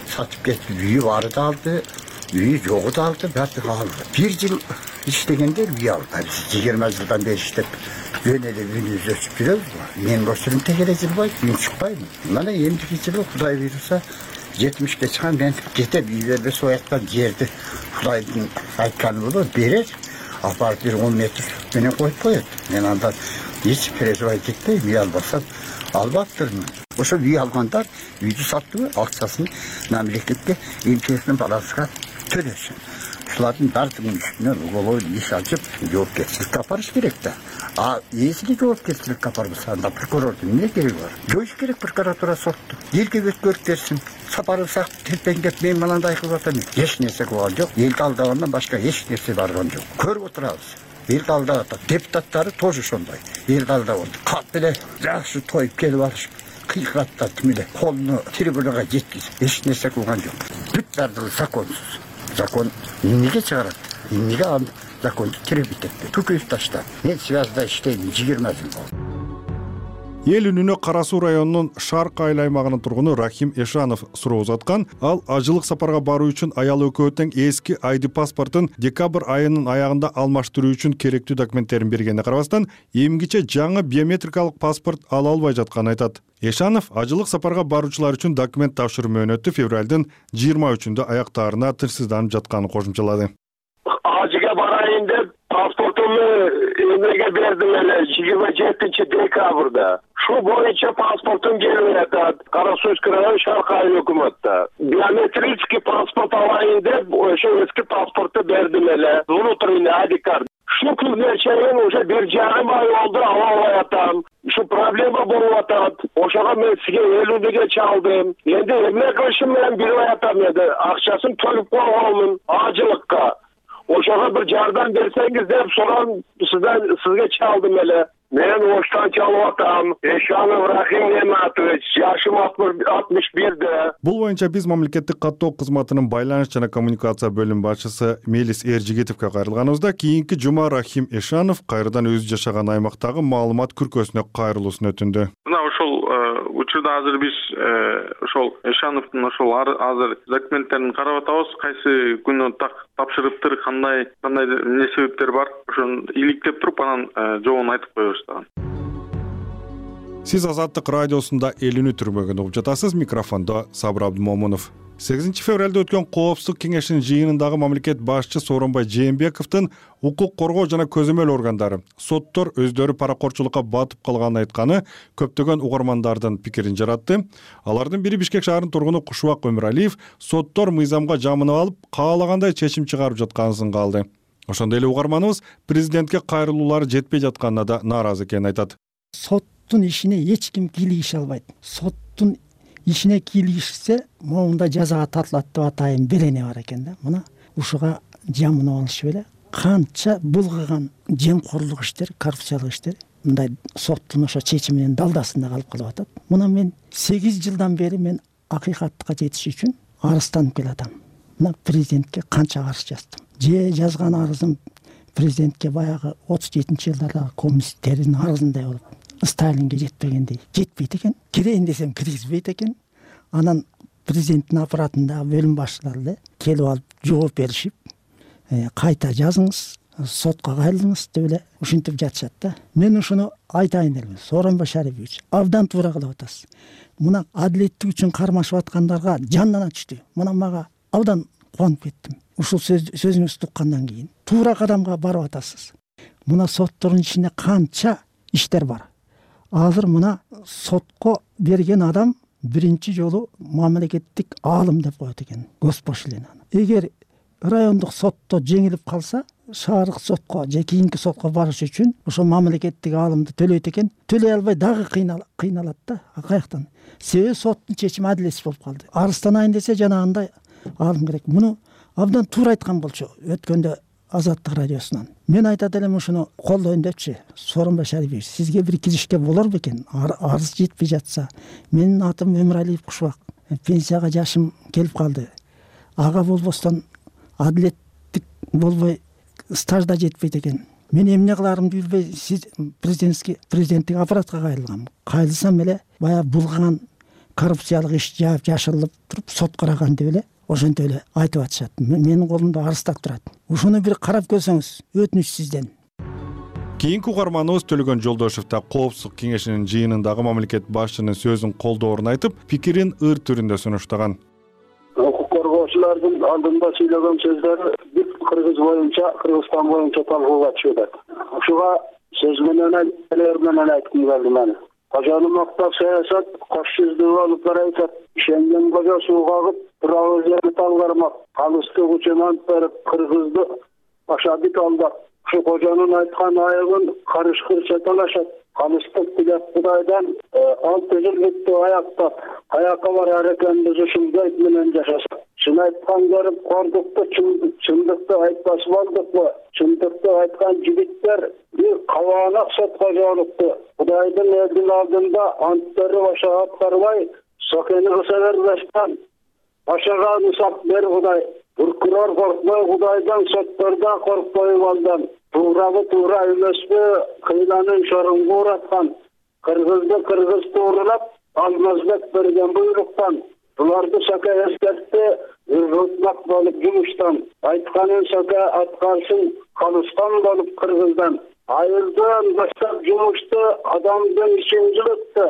сатып кетти. Үйү бары да алды, үйү жогу да алды, баардыгы алды. Бир жыл иштегендер үй алды. жыйырма жылдан бери иштеп жөн эле үйүбүздү өчүп жүрөбүз. Мен бошурум тегере жылбайт, мен чыкпайм. Мына эмдики жылы Кудай буйруса жетимишке чыккан мен кетем, үй бербесе ояктан жерди Кудайдын айтканы болот, берер. Апарып бир он метр менен коюп коет. Мен андан эч переживать этпейм, үй албасам албаптырмын. Ошо үй алгандар үйдү саттыбы, акчасын мамлекетке МЧСтин баласыга төлөсүн. Ушулардын баардыгынын үстүнө уголовой иш ачып, жоопкерчиликке апарыш керек да. А если жоопкерчиликке апарбаса, анда прокурордун эмне кереги бар? Жоюш керек прокуратура сотту. Элге өткөрүп берсин. Сапарын сак телпеңдеп мен мынандай кылып атам. Эч нерсе кылган жок. Элди алдагандан башка эч нерсе барган жок. Көрүп отурабыз. Элди алдап атат. Депутаттары тоже ошондой. Элди алдап атат. Кат эле жакшы тоюп келип алышып, кыйкыраттап тим эле колуну трибунага жеткизип, эч нерсе кылган жок. Бүт баардыгы законсуз. Закон эмнеге чыгарат? Эмнеге ал законду тербит этпейт? Түкүп таштап. Мен связда иштейм жыйырма жыл болду. Эл үнүнө Кара Суу районунун Шарк айыл аймагынын тургуну Рахим Эшанов суроо узаткан. Ал ажылык сапарга баруу үчүн аял экөө тең эски айди паспортун декабрь айынын аягында алмаштыруу үчүн керектүү документтерин бергенине карабастан, эмгиче жаңы биометрикалык паспорт ала албай жатканын айтат. Эшанов ажылык сапарга баруучулар үчүн документ тапшыруу мөөнөтү февралдын жыйырма үчүндө аяктаарына тынчсызданып жатканын кошумчалады. Ажыга барайын деп паспортумду эмеге бердим эле жыйырма жетинчи декабрда. Шу боюнча паспортум келип жатат. Кара Суйский район Шарк айыл өкмөттө. Биометрический паспорт алайын деп ошо эски паспорту бердим эле. Внутренний ай ди карт. Шу күнгө чейин уже бир жарым ай болду ала албай атам. Ушу проблема болуп атат. Ошого мен сизге элүүгө чалдым. Энди эмне кылышым менен билбей атам эди. Акчасын төлөп койгонмун ажылыкка. Ошого бир жардам берсеңиз деп сонун сизден сизге чалдым эле. Мен Оштан чалып атам. Эшанов Рахим Нематович, жашым алтымыш бирде. Бул боюнча биз мамлекеттик каттоо кызматынын байланыш жана коммуникация бөлүм башчысы Мелис Эржигитовго кайрылганыбызда, кийинки жума Рахим Эшанов кайрадан өзү жашаган аймактагы маалымат күркөсүнө кайрылуусун өтүндү. Мына ошол учурда азыр биз ошол Эшановдун ошол азыр документтерин карап атабыз. Кайсы күнү тапшырыптыр, кандай кандай эмне себептер бар, ошону иликтеп туруп анан жообун айтып коебуз. Сиз Азаттык радиосунда эл үнү түрмөгүн угуп жатасыз. Микрофондо Сабыр Абдымомунов. сегизинчи февралда өткөн Коопсуздук кеңешинин жыйынындагы мамлекет башчы Сооронбай Жээнбековдун укук коргоо жана көзөмөл органдары, соттор өздөрү паракорчулукка батып калганын айтканы көптөгөн угармандардын пикирин жаратты. Алардын бири Бишкек шаарынын тургуну Кушубак Өмүралиев соттор мыйзамга жамынып алып, каалагандай чечим чыгарып жатканын сынга Ошондой эле угарманыбыз президентке кайрылуулары жетпей жатканына да нааразы экенин айтат. Соттун ишине эч ким кийлигише албайт. Соттун ишине кийлигишсе, моунда жазага тартылат деп атайын берене бар экен да. Мына ушуга жамынып алышып эле канча булгаган жемкорлук иштер, коррупциялык иштер мындай соттун ошо чечиминин далдасында калып калып атат. Мына мен сегиз жылдан бери мен акыйкатка жетиш үчүн арызданып келатам. Мына президентке канча арыз жаздым. Же жазган арызым президентке баягы отуз жетинчи жылдардагы коммунисттердин арызындай болуп Сталинге жетпегендей жетпейт экен. Кирейин десем киргизбейт экен. Анан президенттин аппаратындагы бөлүм башчылары эле келип алып жооп беришип, кайта жазыңыз, сотко кайрылыңыз деп эле ушинтип жатышат да. Мен ушуну айтайын элем. Сооронбай Шарипович, абдан туура кылып атасыз. Мына адилеттик үчүн кармашып аткандарга жандана түштү. Мына мага абдан кубанып кеттим. Ушул сөзүңүздү уккандан кийин туура кадамга барып атасыз. Мына соттордун ичинде канча иштер бар. Азыр мына сотко берген адам биринчи жолу мамлекеттик аалым деп коет экен, госпошлинаны. Эгер райондук сотто жеңилип калса, шаардык сотко же кийинки сотко барыш үчүн ошо мамлекеттик аалымды төлөйт экен. Төлөй албай дагы кыйналат да. Каяктан? Себеби соттун чечими адилетсиз болуп калды. Арызданайын десе жанагындай аалым керек. Муну абдан туура айткан болчу өткөндө Азаттык радиосунан. Мен айтат элем ушуну колдойн депчи. Сооронбай Шарипович, сизге бир киришке болор бекен? Арыз жетпей жатса. Менин атым Өмүралиев Кушубак. Пенсияга жашым келип калды. Ага болбостон адилеттик болбой стажда жетпейт экен. Мен эмне кыларымды билбей, сиз президентский президенттик аппаратка кайрылгам. Кайрылсам эле баягы булган коррупциялык иш жаап жашырылып туруп сот караган деп эле ошентип эле айтып атышат. Менин колумда арыздап турат. Ушуну бир карап көрсөңүз, өтүнүч сизден. Кийинки угарманыбыз Төлөгөн Жолдошев да Коопсуздук кеңешинин жыйынындагы мамлекет башчынын сөзүн колдоорун айтып, пикирин ыр түрүндө сунуштаган. Укук коргоочулардын алдында сүйлөгөн сөздөрү бүт Кыргыз боюнча, Кыргызстан боюнча талкууга түшүп атат. Ушуга сөз менен элер менен айткым келди мен. Кожону мактап саясат кош жүздүү болуп барат. Ишенген кожо суу кагып, турабы жерди талгармак. Калыстык учунан берип Кыргызды ашабит алдап. Ушу кожонун айткан айыгын карышкырча талашат. Калыстык билет Кудайдан алты жыл бүттү аяктап, каяка барар экенбиз ушул гайт менен жашасак. Чын айткан көрүп кордукту, чындыкты айтпас болдукпу? Чындыкты айткан жигиттер бир кабаанак сотко жолукту. Кудайдын элдин алдында анттары баша аткарбай, сокени кыса бербестен башага мисак бер Кудай. Прокурор коркпой Кудайдан, сотторда коркпой балдан. Туурабы туура эмеспи, кыйланын шоруңгу ураткан. Кыргызды кыргыз тууралап, Алмазбек берген буйруктан. Буларды Сака эскертти, ыргытмак болуп жумуштан. Айтканын Сака аткарсын, калыскан болуп Кыргыздан. Айылдан баштап жумушту адамдын ишин жылытты.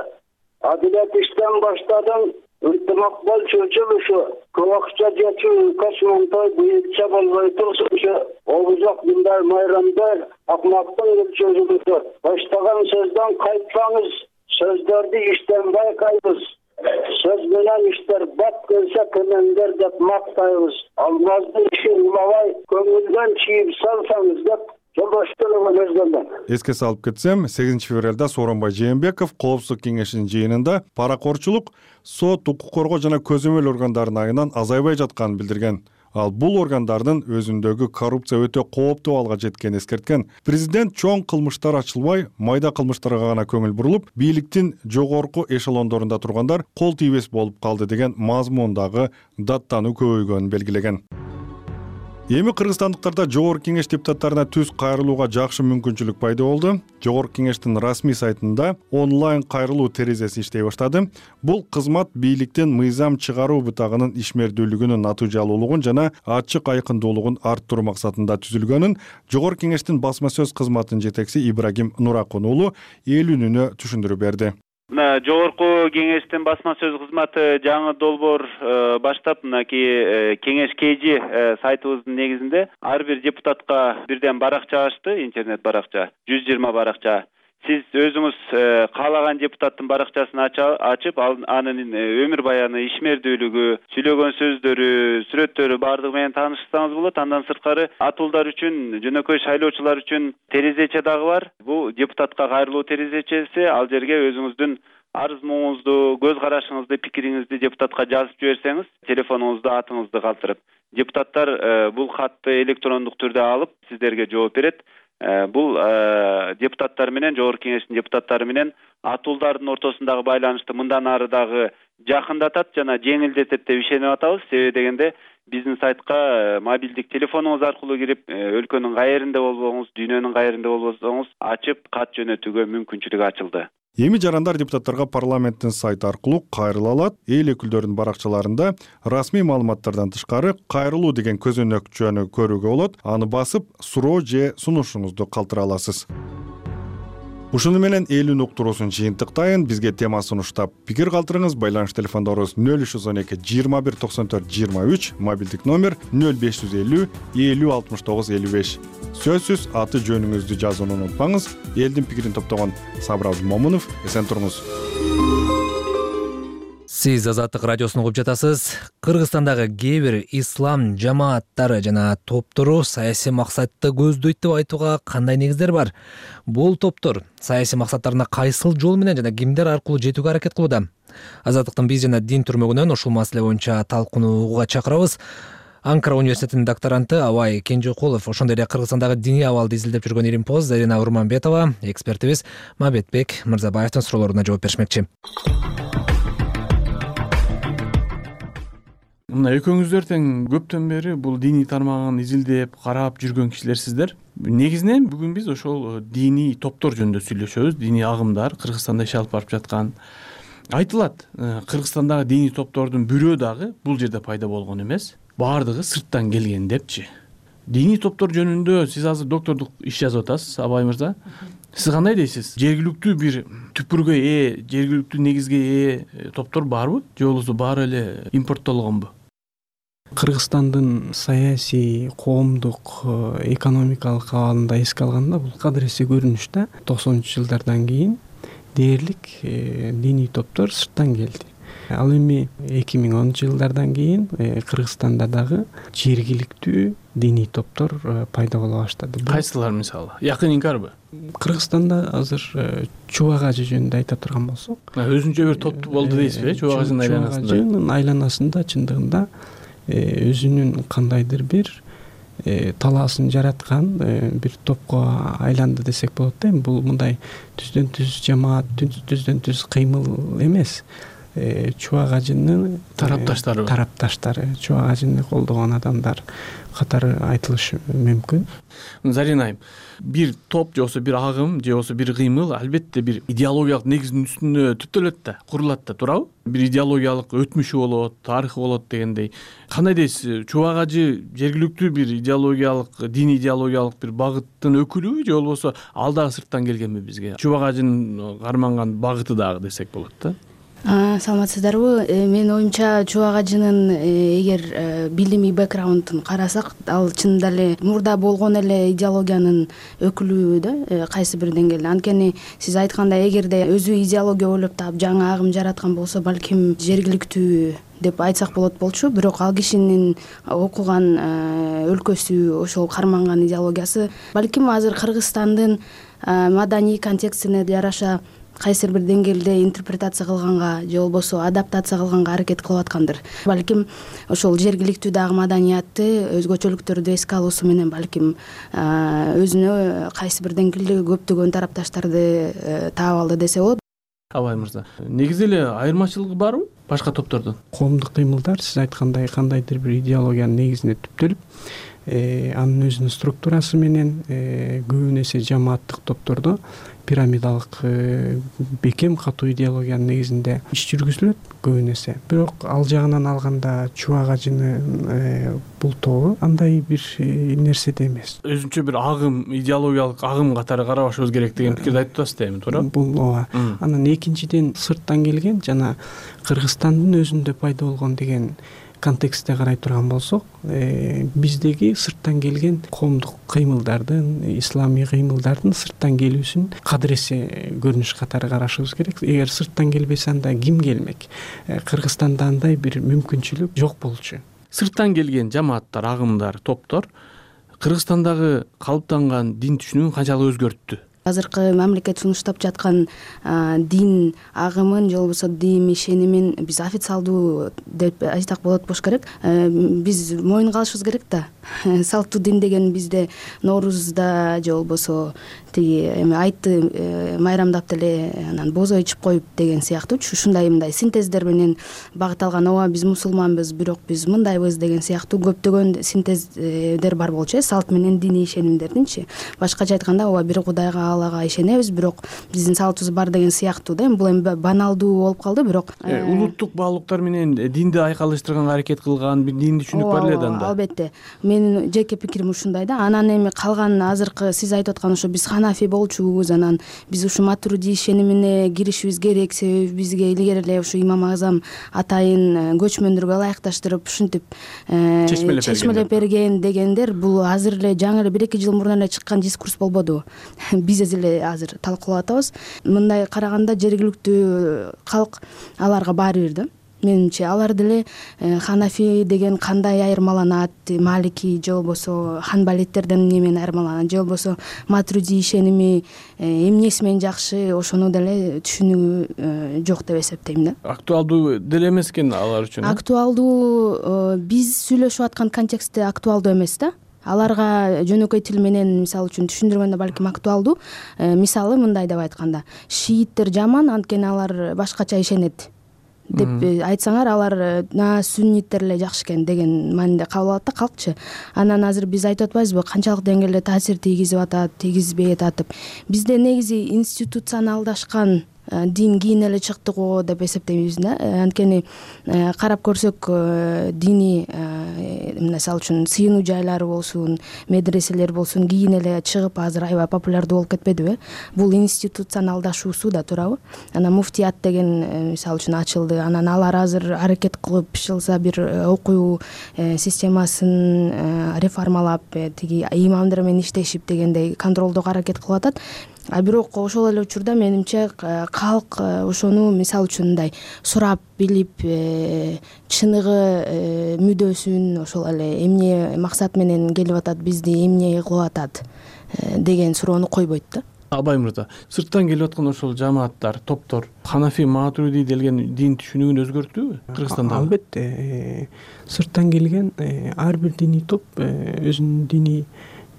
Адилет иштен баштадың, ынтымак бол чөчүлүшү, кылакча жечү космонтой бүйүкчө болбой турсунчу, обузак мындай майрамдар акмактын чөчүлүшү. Баштаган сөздөн кайтсаңыз, сөздөрдү иштен байкайбыз. Сөз менен иштер бат келсе кемеңдер деп мактайбыз. Алмаздын ишин улабай, көңүлдөн чийип салсаңыз деп Эске салып кетсем, сегизинчи февралда Сооронбай Жээнбеков Коопсуздук кеңешинин жыйынында паракорчулук, сот, укук коргоо жана көзөмөл органдарынын айынан азайбай жатканын билдирген. Ал бул органдардын өзүндөгү коррупция өтө кооптуу абалга жеткенин эскерткен. Президент чоң кылмыштар ачылбай, майда кылмыштарга гана көңүл бурулуп, бийликтин жогорку эшелондорунда тургандар кол тийбес болуп калды деген мазмундагы даттануу көбөйгөнүн белгилеген. Эми кыргызстандыктарда жогорку кеңеш депутаттарына түз кайрылууга жакшы мүмкүнчүлүк пайда болду. Жогорку кеңештин расмий сайтында онлайн кайрылуу терезеси иштей баштады. Бул кызмат бийликтин мыйзам чыгаруу бутагынын ишмердүүлүгүнүн натыйжалуулугун жана ачык айкындуулугун арттыруу максатында түзүлгөнүн жогорку кеңештин басма сөз кызматынын жетекчиси Ибрагим Нуракун уулу эл үнүнө түшүндүрүп берди. Жогорку кеңештин басма сөз кызматы жаңы долбоор баштап, мынакей кеңеш kg сайтыбыздын негизинде ар бир депутатка бирден баракча ачты, интернет баракча, жүз жыйырма баракча. Сиз өзүңүз каалаган депутаттын баракчасын ачып, анын өмүр баяны, ишмердүүлүгү, сүйлөгөн сөздөрү, сүрөттөрү бардыгы менен таанышсаңыз болот. Андан сырткары атуулдар үчүн, жөнөкөй шайлоочулар үчүн терезече дагы бар. Бул депутатка кайрылуу терезечеси. Ал жерге өзүңүздүн арыз муңуңузду, көз карашыңызды, пикириңизди депутатка жазып жиберсеңиз, телефонуңузду, атыңызды калтырып, депутаттар бул катты электрондук түрдө алып сиздерге жооп берет. Бул депутаттар менен, жогорку кеңештин депутаттары менен атуулдардын ортосундагы байланышты мындан ары дагы жакындатат жана жеңилдетет деп ишенип атабыз. Себеби дегенде биздин сайтка мобилдик телефонуңуз аркылуу кирип, өлкөнүн кайеринде болбоңуз, дүйнөнүн кайеринде болбосоңуз ачып кат жөнөтүүгө мүмкүнчүлүк ачылды. Эми жарандар депутаттарга парламенттин сайты аркылуу кайрыла алат. Эл өкүлдөрүнүн баракчаларында расмий маалыматтардан тышкары кайрылуу деген көзөнөкчөнү көрүүгө болот. Аны басып, суроо же сунушуңузду калтыра аласыз. Ушуну менен элүүнү уктуруусун жыйынтыктайын. Бизге тема сунуштап пикир калтырыңыз. Байланыш телефондорубуз нөл үч жүз он эки жыйырма бир токсон төрт жыйырма үч, мобилдик номер нөл беш жүз элүү элүү алтымыш тогуз элүү беш. Сөзсүз аты жөнүңүздү жазууну унутпаңыз. Элдин пикирин топтогон Сабыр Абдымомунов, эсен туруңуз. Сиз Азаттык радиосун угуп жатасыз. Кыргызстандагы кээ бир ислам жамааттары жана топтору саясий максатты көздөйт деп айтууга кандай негиздер бар? Бул топтор саясий максаттарына кайсыл жол менен жана кимдер аркылуу жетүүгө аракет кылууда? Азаттыктын биз жана дин түрмөгүнөн ушул маселе боюнча талкууга чакырабыз. Анкара университетинин докторанты Абай Кенжекулов, ошондой эле Кыргызстандагы диний абалды изилдеп жүргөн Иримпоз Зарина Урманбетова, экспертибиз Мамбетбек Мырзабаевдин суроолоруна жооп беришмекчи. Мына экөөңүздөр тең көптөн бери бул диний тармагын изилдеп, карап жүргөн кишилерсиздер. Негизинен бүгүн биз ошол диний топтор жөнүндө сүйлөшөбүз. Диний агымдар Кыргызстанда иш алып барып жаткан. Айтылат, Кыргызстандагы диний топтордун бирөө дагы бул жерде пайда болгон эмес, баардыгы сырттан келген депчи. Диний топтор жөнүндө сиз азыр доктордук иш жазып атасыз, Абай мырза. Сиз кандай дейсиз? Жергиликтүү бир түпүргө ээ, жергиликтүү негизге ээ топтор барбы? Же болбосо баары эле импорттолгонбу? Кыргызстандын саясий, коомдук, экономикалык абалында эске алганда бул кадыресе көрүнүш да. токсонунчу жылдардан кийин дээрлик диний топтор сырттан келди. Ал эми эки миң онунчу жылдардан кийин Кыргызстанда дагы жергиликтүү диний топтор пайда боло баштады. Кайсылар мисалы? Якын инкарбы? Кыргызстанда азыр Чубак ажы жөнүндө айта турган болсок, өзүнчө бир топ болду дейсизби? Чубак ажынын айланасында. Чубак ажынын айланасында чындыгында өзүнүн кандайдыр бир талаасын жараткан бир топко айланды десек болот да. Бул мындай түздөн түз жамаат, түздөн түз кыймыл эмес. Чубак ажынын тарапташтары тарапташтары, Чубак ажыны колдогон адамдар катары айтылышы мүмкүн. Зарина айым, бир топ же болбосо бир агым же болбосо бир кыймыл албетте бир идеологиялык негиздин үстүнө түптөлөт да, курулат да, туурабы? Бир идеологиялык өтмүшү болот, тарыхы болот дегендей. Кандай дейсиз? Чубак ажы жергиликтүү бир идеологиялык, диний идеологиялык бир багыттын өкүлүбү же болбосо ал дагы сырттан келгенби бизге? Чубак ажынын карманган багыты дагы десек болот да. Саламатсыздарбы? Менин оюмча Чубак ажынын эгер билимий бэкграундун карасак, ал чынында эле мурда болгон эле идеологиянын өкүлү да, кайсы бир деңгээлде. Анткени сиз айткандай, эгерде өзү идеология ойлоп таап жаңы агым жараткан болсо, балким жергиликтүү деп айтсак болот болчу. Бирок ал кишинин окуган өлкөсү, ошол карманган идеологиясы балким азыр Кыргызстандын маданий контекстине жараша кайсы бир деңгээлде интерпретация кылганга же болбосо адаптация кылганга аракет кылып аткандыр. Балким ошол жергиликтүү дагы маданиятты, өзгөчөлүктөрдү эске алуусу менен балким өзүнө кайсы бир деңгээлде көптөгөн тарапташтарды таап алды десе болот. Абай мырза, негизи эле айырмачылыгы барбы башка топтордон? Коомдук кыймылдар сиз айткандай кандайдыр бир идеологиянын негизине түптөлүп, анын өзүнүн структурасы менен көбүн эсе жамааттык топтордо пирамидалык бекем катуу идеологиянын негизинде иш жүргүзүлөт көбүн эсе. Бирок ал жагынан алганда Чубак ажынын бул тобу андай бир нерседе эмес. Өзүнчө бир агым, идеологиялык агым катары карабашыбыз керек деген пикирди айтып атасыз да эми, туурабы? Бул ооба. Анан экинчиден сырттан келген жана Кыргызстандын өзүндө пайда болгон деген контекстте карай турган болсок, биздеги сырттан келген коомдук кыймылдардын, исламий кыймылдардын сырттан келүүсүн кадыресе көрүнүш катары карашыбыз керек. Эгер сырттан келбесе, анда ким келмек? Кыргызстанда андай бир мүмкүнчүлүк жок болчу. Сырттан келген жамааттар, агымдар, топтор Кыргызстандагы калыптанган дин түшүнүгүн канчалык өзгөрттү? азыркы мамлекет сунуштап жаткан дин агымын же болбосо дин ишенимин биз официалдуу деп айтсак болот болуш керек. Биз моюнга алышыбыз керек да. Салттуу дин деген бизде Ноорузда же болбосо тиги эми айтты майрамдап деле анан бозой ичип коюп деген сыяктуучу ушундай мындай синтездер менен багыт алган. Ооба биз мусулманбыз, бирок биз мындайбыз деген сыяктуу көптөгөн синтездер бар болчу. Салт менен диний ишенимдердинчи. Башкача айтканда ооба бир Кудайга, Аллага ишенебиз, бирок биздин салтыбыз бар деген сыяктуу да. Бул эми баналдуу болуп калды, бирок улуттук баалуулуктар менен динди айкалыштырганга аракет кылган бир диний түшүнүк бар эле да анда. Албетте. Менин жеке пикирим ушундай да. Анан эми калган азыркы сиз айтып аткан ошо биз ханафи болчубуз, анан биз ушу матуриди ишенимине киришибиз керек, себеби бизге илгери эле ушу имам Азам атайын көчмөндөргө ылайыкташтырып ушинтип чечмелеп берген дегендер бул азыр эле жаңы эле бир эки жыл мурун эле чыккан дискурс болбоду. Биз эле азыр талкуулап атабыз. Мындай караганда жергиликтүү калк аларга баары бир да. Менимче алар деле ханафи деген кандай айырмаланат, малики же болбосо ханбалиттерден немен айырмаланат, же болбосо матуриди ишеними эмнеси менен жакшы, ошону деле түшүнүгү жок деп эсептейм да. Актуалдуу деле эмес экен алар үчүн. Актуалдуу биз сүйлөшүп аткан контекстте актуалдуу эмес да. Аларга жөнөкөй тил менен мисалы үчүн түшүндүргөндө балким актуалдуу. Мисалы мындай деп айтканда, шииттер жаман, анткени алар башкача ишенет деп айтсаңар, алар сунниттер эле жакшы экен деген маанинде кабыл алат да калкчы. Анан азыр биз айтып атпайбызбы, канчалык деңгээлде таасир тийгизип атат, тийгизбей атат деп. Бизде негизи институционалдашкан дин кийин эле чыкты го деп эсептейбиз да. Анткени карап көрсөк, диний мисалы үчүн сыйынуу жайлары болсун, медреселер болсун кийин эле чыгып азыр аябай популярдуу болуп кетпедиби? Бул институционалдашуусу да туурабы? Анан муфтият деген мисалы үчүн ачылды. Анан алар азыр аракет кылып ишылса бир окуу системасын реформалап, тиги имамдар менен иштешип дегендей контролдоого аракет кылып атат. А бирок ошол эле учурда менимче калк ошону мисалы үчүн мындай сурап билип, чыныгы мүдөөсүн, ошол эле эмне максат менен келип атат, бизди эмне кылып атат деген суроону койбойт да. Абай мырза, сырттан келип аткан ошол жамааттар, топтор ханафи, матуриди делген дин түшүнүгүн өзгөрттүбү Кыргызстанда? Албетте, сырттан келген ар бир диний топ өзүнүн диний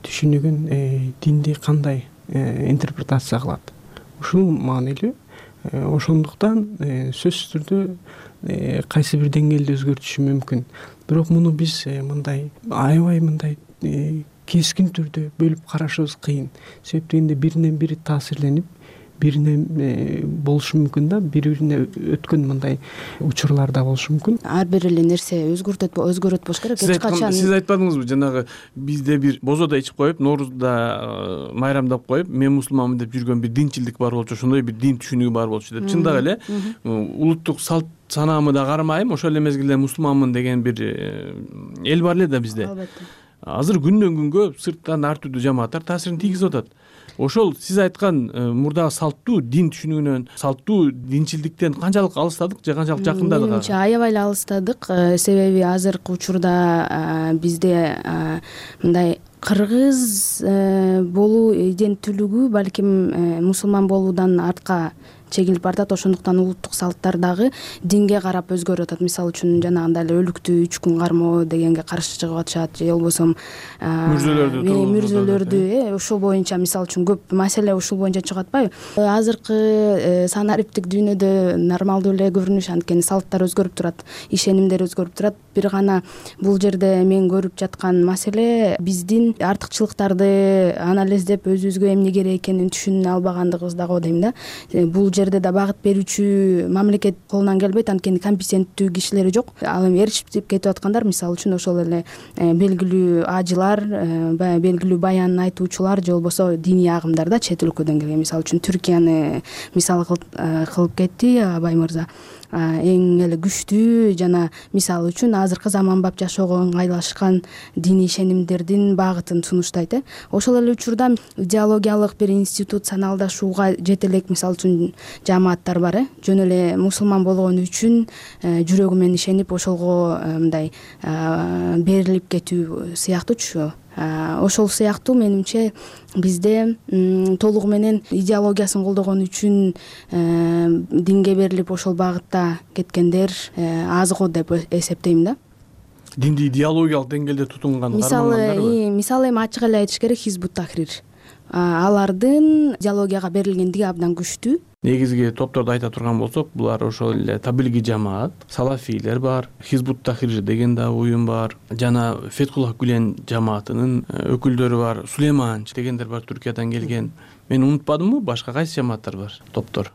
түшүнүгүн, динди кандай интерпретация кылат. Ушул маанилүү. Ошондуктан сөзсүз түрдө кайсы бир деңгээлде өзгөртүшү мүмкүн. Бирок муну биз мындай аябай мындай кескин түрдө бөлүп карашыбыз кыйын. Себеп дегенде биринен бири таасирленип, биринен болушу мүмкүн да, бири-бирине өткөн мындай учурлар да болушу мүмкүн. Ар бир эле нерсе өзгөртөт өзгөрөт болуш керек. Эч качан сиз айтпадыңызбы, жанагы бизде бир бозода ичип коюп, Ноорузда майрамдап коюп, мен мусулманмын деп жүргөн бир динчилдик бар болчу, ошондой бир дин түшүнүгү бар болчу деп. Чындап эле улуттук салт санаамы да кармайм, ошол эле мезгилде мусулманмын деген бир эл бар эле да бизде. Албетте. Азыр күндөн күнгө сырттан ар түрдүү жамааттар таасирин тийгизип атат. Ошол сиз айткан мурдагы салттуу дин түшүнүгүнөн, салттуу динчилдиктен канчалык алыстадык же канчалык жакындадык? Менимче аябай эле алыстадык, себеби азыркы учурда бизде мындай кыргыз болуу иденттүүлүгү балким мусулман болуудан артка чегинип бартат. Ошондуктан улуттук салттар дагы динге карап өзгөрүп атат. Мисалы үчүн жанагындай эле өлүктү үч күн кармоо дегенге каршы чыгып атышат, же болбосо мүрзөлөрдү мүрзөлөрдү ошол боюнча мисалы үчүн көп маселе ушул боюнча чыгып атпайбы? Азыркы санариптик дүйнөдө нормалдуу эле көрүнүш, анткени салттар өзгөрүп турат, ишенимдер өзгөрүп турат. Бир гана бул жерде мен көрүп жаткан маселе биздин артыкчылыктарды анализдеп өзүбүзгө эмне керек экенин түшүнө албагандыгыбыз да го дейм да. Бул жерде да багыт берүүчү мамлекет колунан келбейт, анткени компетенттүү кишилери жок. Ал эми эришип кетип аткандар мисалы үчүн ошол эле белгилүү ажылар, баягы белгилүү баян айтуучулар же болбосо диний агымдар да чет өлкөдөн келген. Мисалы үчүн Түркияны мисал кылып кетти Абай мырза. Эң эле күчтүү жана мисалы үчүн азыркы заманбап жашоого ыңгайлашкан диний ишенимдердин багытын сунуштайт. Ошол эле учурда идеологиялык бир институционалдашууга жете элек мисалы үчүн жамааттар бар, жөн эле мусулман болгону үчүн жүрөгү менен ишенип ошолго мындай берилип кетүү сыяктуучу. ошол сыяктуу менимче бизде толугу менен идеологиясын колдогон үчүн динге берилип ошол багытта кеткендер аз го деп эсептейм да. Динди идеологиялык деңгээлде тутунган мисалы мисалы эми ачык эле айтыш керек, Хизбут Тахрир алардын идеологияга берилгендиги абдан күчтүү. Негизги топторду айта турган болсок, булар ошол эле Табилги жамаат, салафийлер бар, Хизбут Тахрир деген да уюм бар, жана Фетхуллах Гүлен жамаатынын өкүлдөрү бар, Сулейманч дегендер бар, Түркиядан келген. Мен унутпадымбы, башка кайсы жамааттар бар, топтор?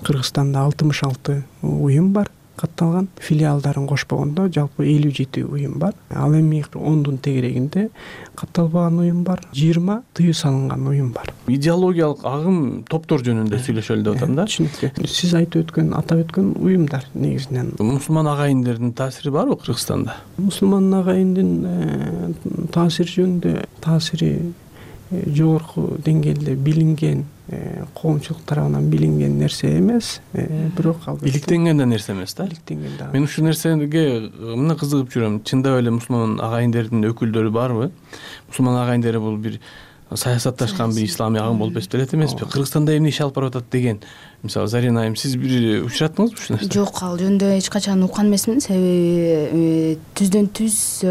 Кыргызстанда алтымыш алты уюм бар катталган, филиалдарын кошпогондо жалпы элүү жети уюм бар. Ал эми ондун тегерегинде катталбаган уюм бар, жыйырма тыюу салынган уюм бар. Идеологиялык агым топтор жөнүндө сүйлөшөлү деп атам да. Түшүнүктүү. Сиз айтып өткөн, атап өткөн уюмдар негизинен. Мусулман агайындардын таасири барбы Кыргызстанда? Мусулман агайындын таасири жөнүндө таасири жогорку деңгээлде билинген, коомчулук тарабынан билинген нерсе эмес, бирок албетте иликтенген да нерсе эмес да. Иликтенген да. Мен ушул нерсеге мына кызыгып жүрөм. Чындап эле мусулман агайындардын өкүлдөрү барбы? Мусулман агайындар бул бир саясатташкан бир исламий агым болуп эсептелет эмеспи? Кыргызстанда эмне иш алып барып атат деген. Мисалы Зарина айым, сиз бир учураттыңызбы ушул нерсе? Жок, ал жөнүндө эч качан уккан эмесмин. Себеби түздөн түз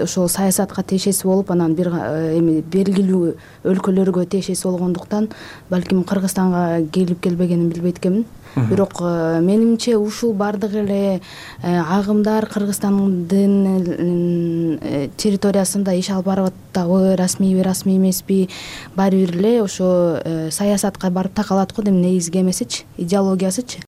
ошол саясатка тиешеси болуп, анан бир эми белгилүү өлкөлөргө тиешеси болгондуктан балким Кыргызстанга келип келбегенин билбейт экенмин. Бирок менимче ушул бардык эле агымдар Кыргызстандын территориясында иш алып барып атабы, расмийби, расмий эмеспи, баары бир эле ошо саясатка барып такалат го дейм, негизги эмесичи, идеологиясычы.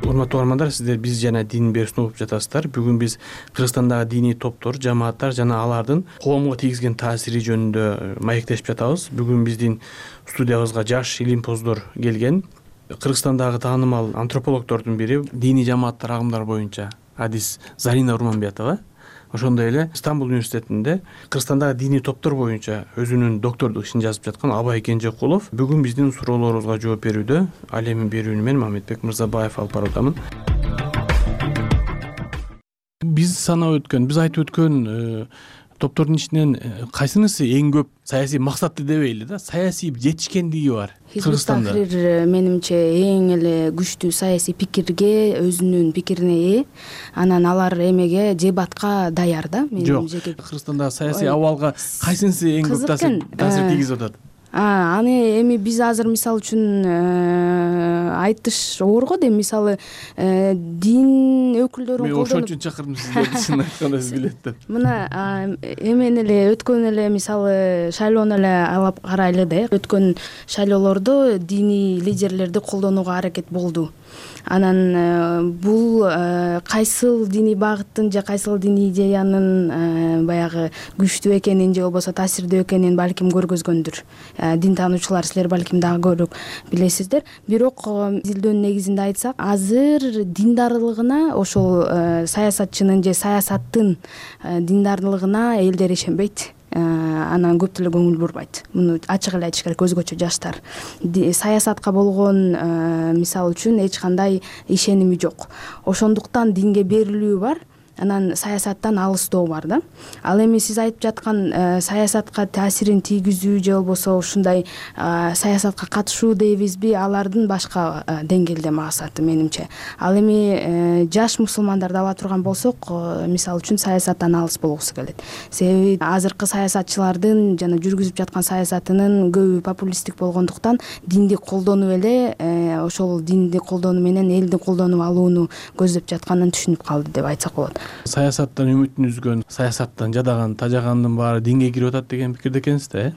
Урматтуу угармандар, сиздер биз жана дин берүүсүн угуп жатасыздар. Бүгүн биз Кыргызстандагы диний топтор, жамааттар жана алардын коомго тийгизген таасири жөнүндө маектешип жатабыз. Бүгүн биздин студиябызга жаш илимпоздор келген. Кыргызстандагы таанымал антропологдордун бири, диний жамааттар, агымдар боюнча адис Зарина Урманбетова. Ошондой эле Стамбул университетинде Кыргызстандагы диний топтор боюнча өзүнүн доктордук ишин жазып жаткан Абай Кенжекулов бүгүн биздин суроолорубузга жооп берүүдө. Ал эми берүүнү мен Мамедбек Мырзабаев алып барып атамын. Биз санап өткөн, биз айтып өткөн топтордун ичинен кайсынысы эң көп саясий максатты дебейли да, саясий жетишкендиги бар Кыргызстанда? Хизбут Тахрир менимче эң эле күчтүү саясий пикирге, өзүнүн пикирине ээ. Анан алар эмеге, дебатка даяр да. Жок, Кыргызстанда саясий абалга кайсынысы эң көп таасир тийгизип атат? Аны эми биз азыр мисалы үчүн айтыш оор го дейм. Мисалы дин өкүлдөрүн колдонуп, мен ошон үчүн чакырдым сиздерди, чын айтканда сиз билет деп. Мына эмен эле өткөн эле мисалы шайлоону эле алып карайлы да. Өткөн шайлоолордо диний лидерлерди колдонууга аракет болду. Анан бул кайсыл диний багыттын же кайсыл диний идеянын баягы күчтүү экенин же болбосо таасирдүү экенин балким көргөзгөндүр. Дин таануучулар, силер балким дагы көбүрөөк билесиздер. Бирок изилдөөнүн негизинде айтсак, азыр диндарлыгына, ошол саясатчынын же саясаттын диндарлыгына элдер ишенбейт. Анан көп деле көңүл бурбайт. Муну ачык эле айтыш керек, өзгөчө жаштар. Саясатка болгон мисалы үчүн эч кандай ишеними жок. Ошондуктан динге берилүү бар, анан саясаттан алыстоо бар да. Ал эми сиз айтып жаткан саясатка таасирин тийгизүү же болбосо ушундай саясатка катышуу дейбизби, алардын башка деңгээлде максаты менимче. Ал эми жаш мусулмандарды ала турган болсок, мисалы үчүн саясаттан алыс болгусу келет. Себеби азыркы саясатчылардын жана жүргүзүп жаткан саясатынын көбү популисттик болгондуктан динди колдонуп эле, ошол динди колдонуу менен элди колдонуп алууну көздөп жатканын түшүнүп калды деп айтсак болот. Саясаттан үмүтүн үзгөн, саясаттан жадаган, тажагандын баары динге кирип атат деген пикирде экенсиз да, э?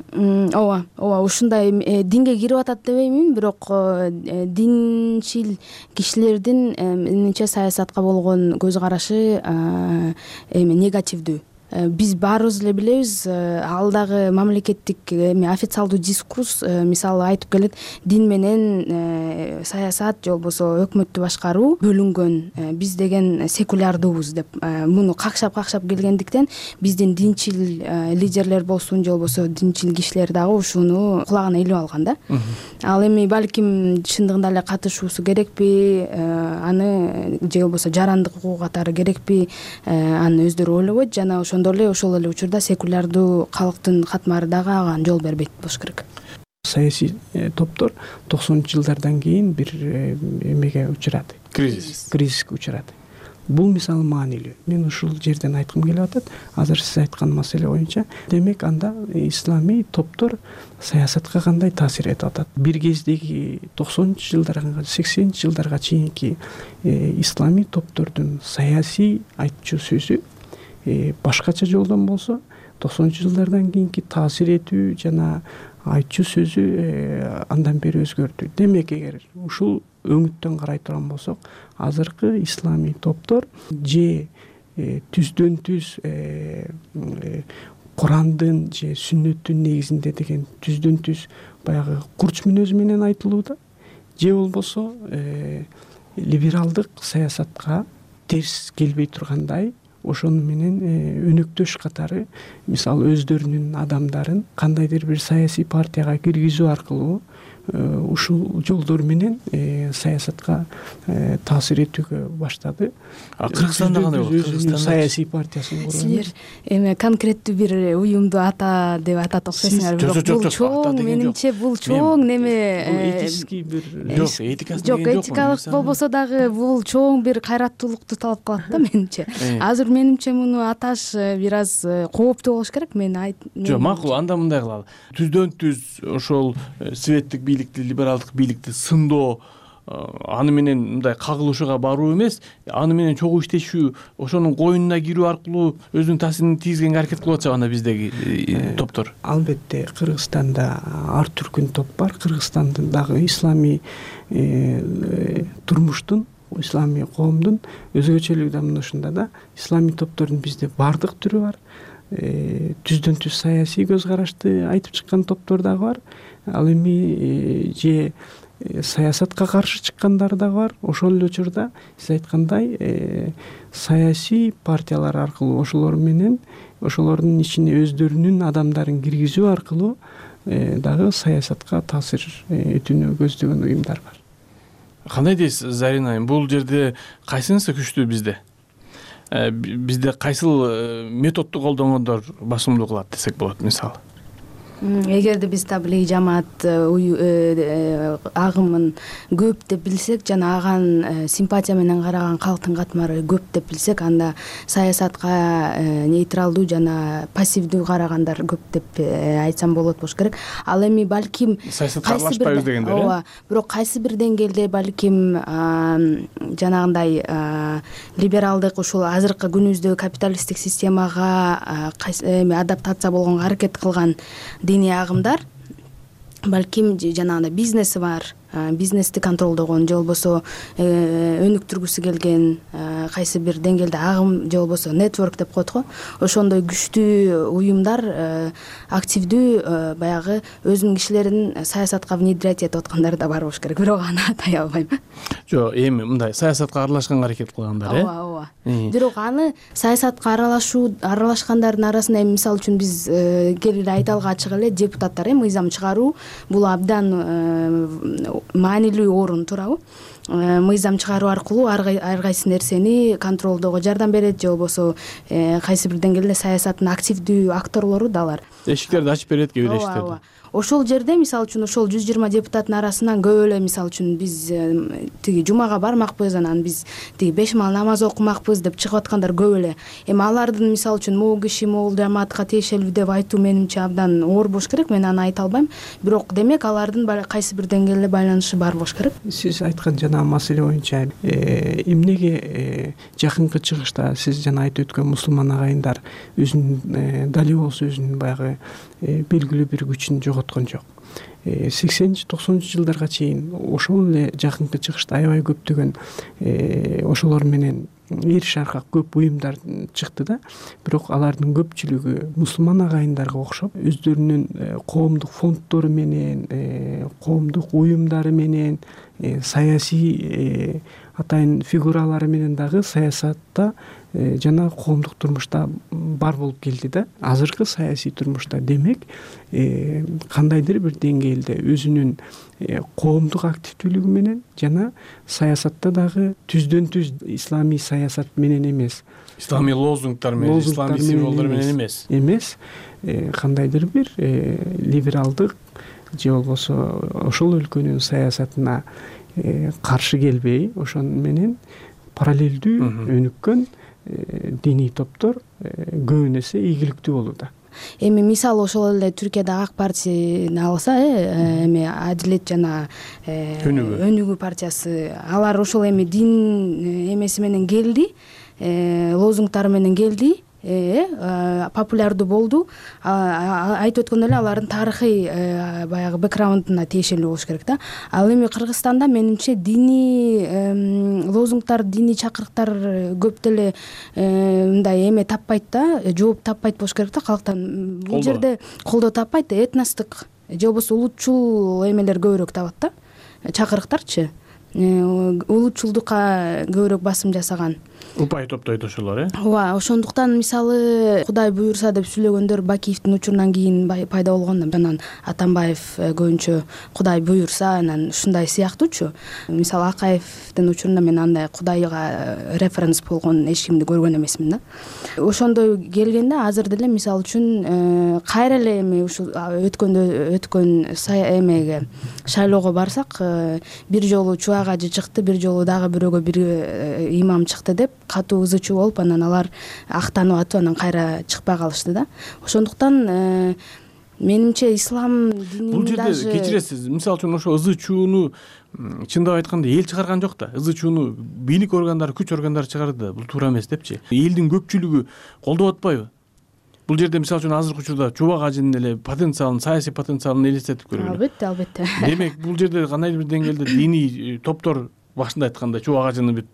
Ооба, ооба, ушундай динге кирип атат дебеймин, бирок динчил кишилердин менимче саясатка болгон көз карашы эми негативдүү. биз баарыбыз эле билебиз, ал дагы мамлекеттик эме официалдуу дискурс мисалы айтып келет, дин менен саясат же болбосо өкмөттү башкаруу бөлүнгөн, биз деген секулярдуубуз деп муну какшап какшап келгендиктен биздин динчил лидерлер болсун же болбосо динчил кишилер дагы ушуну кулагына илип алган да. Ал эми балким чындыгында эле катышуусу керекпи, аны же болбосо жарандык укугу катары керекпи, аны өздөрү ойлобойт жана ошондо эле ошол эле учурда секулярдуу калктын катмары дагы ага жол бербейт болуш керек. Саясий топтор токсонунчу жылдардан кийин бир эмеге учурады. Кризис. Кризиске учурады. Бул мисалы маанилүү. Мен ушул жерден айткым келип атат. Азыр сиз айткан маселе боюнча, демек анда исламий топтор саясатка кандай таасир этип атат? Бир кездеги токсонунчу жылдарга, сексенинчи жылдарга чейинки исламий топтордун саясий айтчу сөзү башкача жолдон болсо, токсонунчу жылдардан кийинки таасир этүү жана айтчу сөзү андан бери өзгөрдү. Демек, эгер ушул өңүттөн карай турган болсок, азыркы исламий топтор же түздөн түз Курандын же сүннөттүн негизинде деген түздөн түз баягы курч мүнөзү менен айтылууда, же болбосо либералдык саясатка терс келбей тургандай ошону менен өнөктөш катары, мисалы өздөрүнүн адамдарын кандайдыр бир саясий партияга киргизүү аркылуу ушул жолдор менен саясатка таасир этүүгө баштады. Кыргызстанда кандай болот? Кыргызстан саясий партиясын курган. Силер эме конкреттүү бир уюмду ата деп атат окшойсуңар. Бул чоң, менимче бул чоң неме этический бир жок, этикасы жок, этикалык болбосо дагы бул чоң бир кайраттуулукту талап кылат да менимче. Азыр менимче муну аташ бир аз кооптуу болуш керек. Мен айт. Жок, макул, анда мындай кылалы. Түздөн түз ошол светтик бийликти, либералдык бийликти сындоо, аны менен мындай кагылышууга баруу эмес, аны менен чогуу иштешүү, ошонун коюнуна кирүү аркылуу өзүнүн таасирин тийгизгенге аракет кылып атышат анда биздеги топтор. Албетте, Кыргызстанда ар түркүн топ бар. Кыргызстандын дагы исламий турмуштун, исламий коомдун өзгөчөлүгү да мына ушунда да. Исламий топтордун бизде бардык түрү бар. Түздөн түз саясий көз карашты айтып чыккан топтор дагы бар. Ал эми же саясатка каршы чыккандар дагы бар. Ошол эле учурда сиз айткандай саясий партиялар аркылуу ошолор менен ошолордун ичине өздөрүнүн адамдарын киргизүү аркылуу дагы саясатка таасир этүүнү көздөгөн уюмдар бар. Кандай дейсиз, Зарина айым? Бул жерде кайсынысы күчтүү bizde? Бизде кайсыл методду колдонгондор басымдуу кылат десек болот, мисалы? Эгерде биз таблиги жамаат агымын көп деп билсек жана аган симпатия менен караган калктын катмары көп деп билсек, анда саясатка нейтралдуу жана пассивдүү карагандар көп деп айтсам болот болуш керек. Ал эми балким саясатка аралашпайбыз дегендер, э? Ооба, бирок кайсы бир деңгээлде балким жанагындай либералдык ушул азыркы күнүбүздөгү капиталисттик системага эми адаптация болгонго аракет кылган диний агымдар балким жанагындай бизнеси бар, бизнести контролдогон же болбосо өнүктүргүсү келген кайсы бир деңгээлде агым же болбосо нетворк деп коет го, ошондой күчтүү уюмдар активдүү баягы өзүнүн кишилерин саясатка внедрять этип аткандар да бар болуш керек, бирок аны атай албайм. Жок, эми мындай саясатка аралашканга аракет кылгандар, э? Ооба, ооба. Бирок аны саясатка аралашуу аралашкандардын арасында эми мисалы үчүн биз келип айталга ачык эле депутаттар, э, мыйзам чыгаруу бул абдан маанилүү орун туурабы? Мыйзам чыгаруу аркылуу ар кайсы нерсени контролдоого жардам берет же болбосо кайсы бир деңгээлде саясаттын активдүү акторлору да алар. Эшиктерди ачып берет кээ бир эшиктерди. Ошол жерде мисалы үчүн ошол жүз жыйырма депутаттын арасынан көп эле мисалы үчүн биз тиги жумага бармакпыз, анан биз тиги беш маал намаз окумакпыз деп чыгып аткандар көп эле. Эми алардын мисалы үчүн могул киши могул жамаатка тиешелүү деп айтуу менимче абдан оор болуш керек. Мен аны айта албайм. Бирок демек алардын кайсы бир деңгээлде байланышы бар болуш керек. Сиз айткан жана маселе боюнча эмнеге жакынкы чыгышта сиз жана айтып өткөн мусулман агайындар өзүнүн дали болсо өзүнүн баягы белгилүү бир күчүн жоготкон жок. сексенинчи токсонунчу жылдарга чейин ошол эле жакынкы чыгышта аябай көптөгөн ошолор менен эр шарка көп уюмдар чыкты да, бирок алардын көпчүлүгү мусулман агайындарга окшоп өздөрүнүн коомдук фонддору менен, коомдук уюмдары менен, саясий атайын фигуралары менен дагы саясатта жана коомдук турмушта бар болуп келди да. Азыркы саясий турмушта демек кандайдыр бир деңгээлде өзүнүн коомдук активдүүлүгү менен жана саясатта дагы түздөн түз исламий саясат менен эмес, исламий лозунгдар менен, исламий символдор менен эмес эмес кандайдыр бир либералдык же болбосо ошол өлкөнүн саясатына каршы келбей, ошон менен параллелдүү өнүккөн диний топтор көбүн эсе ийгиликтүү болууда. Эми мисалы ошол эле Түркияда ак партияны алса, эми Адилет жана Өнүгүү партиясы, алар ошол эми дин эмеси менен келди, лозунгтары менен келди, популярдуу болду. Айтып өткөндөй эле алардын тарыхый баягы бэкграундуна тиешелүү болуш керек да. Ал эми Кыргызстанда менимче диний лозунгтар, диний чакырыктар көп деле мындай эме таппайт да, жооп таппайт болуш керек да калктан. Бул жерде колдоо таппайт, этностук же болбосо улутчул эмелер көбүрөөк табат да, чакырыктарчы. Улутчулдукка көбүрөөк басым жасаган. Упай топтойт ошолор, э? Ооба, ошондуктан мисалы Кудай буюрса деп сүйлөгөндөр Бакиевдин учурунан кийин пайда болгон да. Анан Атамбаев көбүнчө Кудай буюрса, анан ушундай сыяктуучу. Мисалы Акаевдин учурунда мен андай Кудайга референс болгон эч кимди көргөн эмесмин да. Ошондой келгенде азыр деле мисалы үчүн кайра эле эми ушул өткөндө өткөн эмеге шайлоого барсак, бир жолу Чубак ажы чыкты, бир жолу дагы бирөөгө бир имам чыкты деп катуу ызы чуу болуп, анан алар актанып атып, анан кайра чыкпай калышты да. Ошондуктан менимче ислам динин бул жерде кечиресиз, мисалы үчүн ошо ызы чууну чындап айтканда эл чыгарган жок да. Ызы чууну бийлик органдары, күч органдары чыгарды, бул туура эмес депчи. Элдин көпчүлүгү колдоп атпайбы? Бул жерде мисалы үчүн азыркы учурда Чубак ажынын эле потенциалын, саясий потенциалын элестетип көргүлө. Албетте, албетте. Демек, бул жерде кандайдыр бир деңгээлде диний топтор, башында айткандай Чубак ажыны бир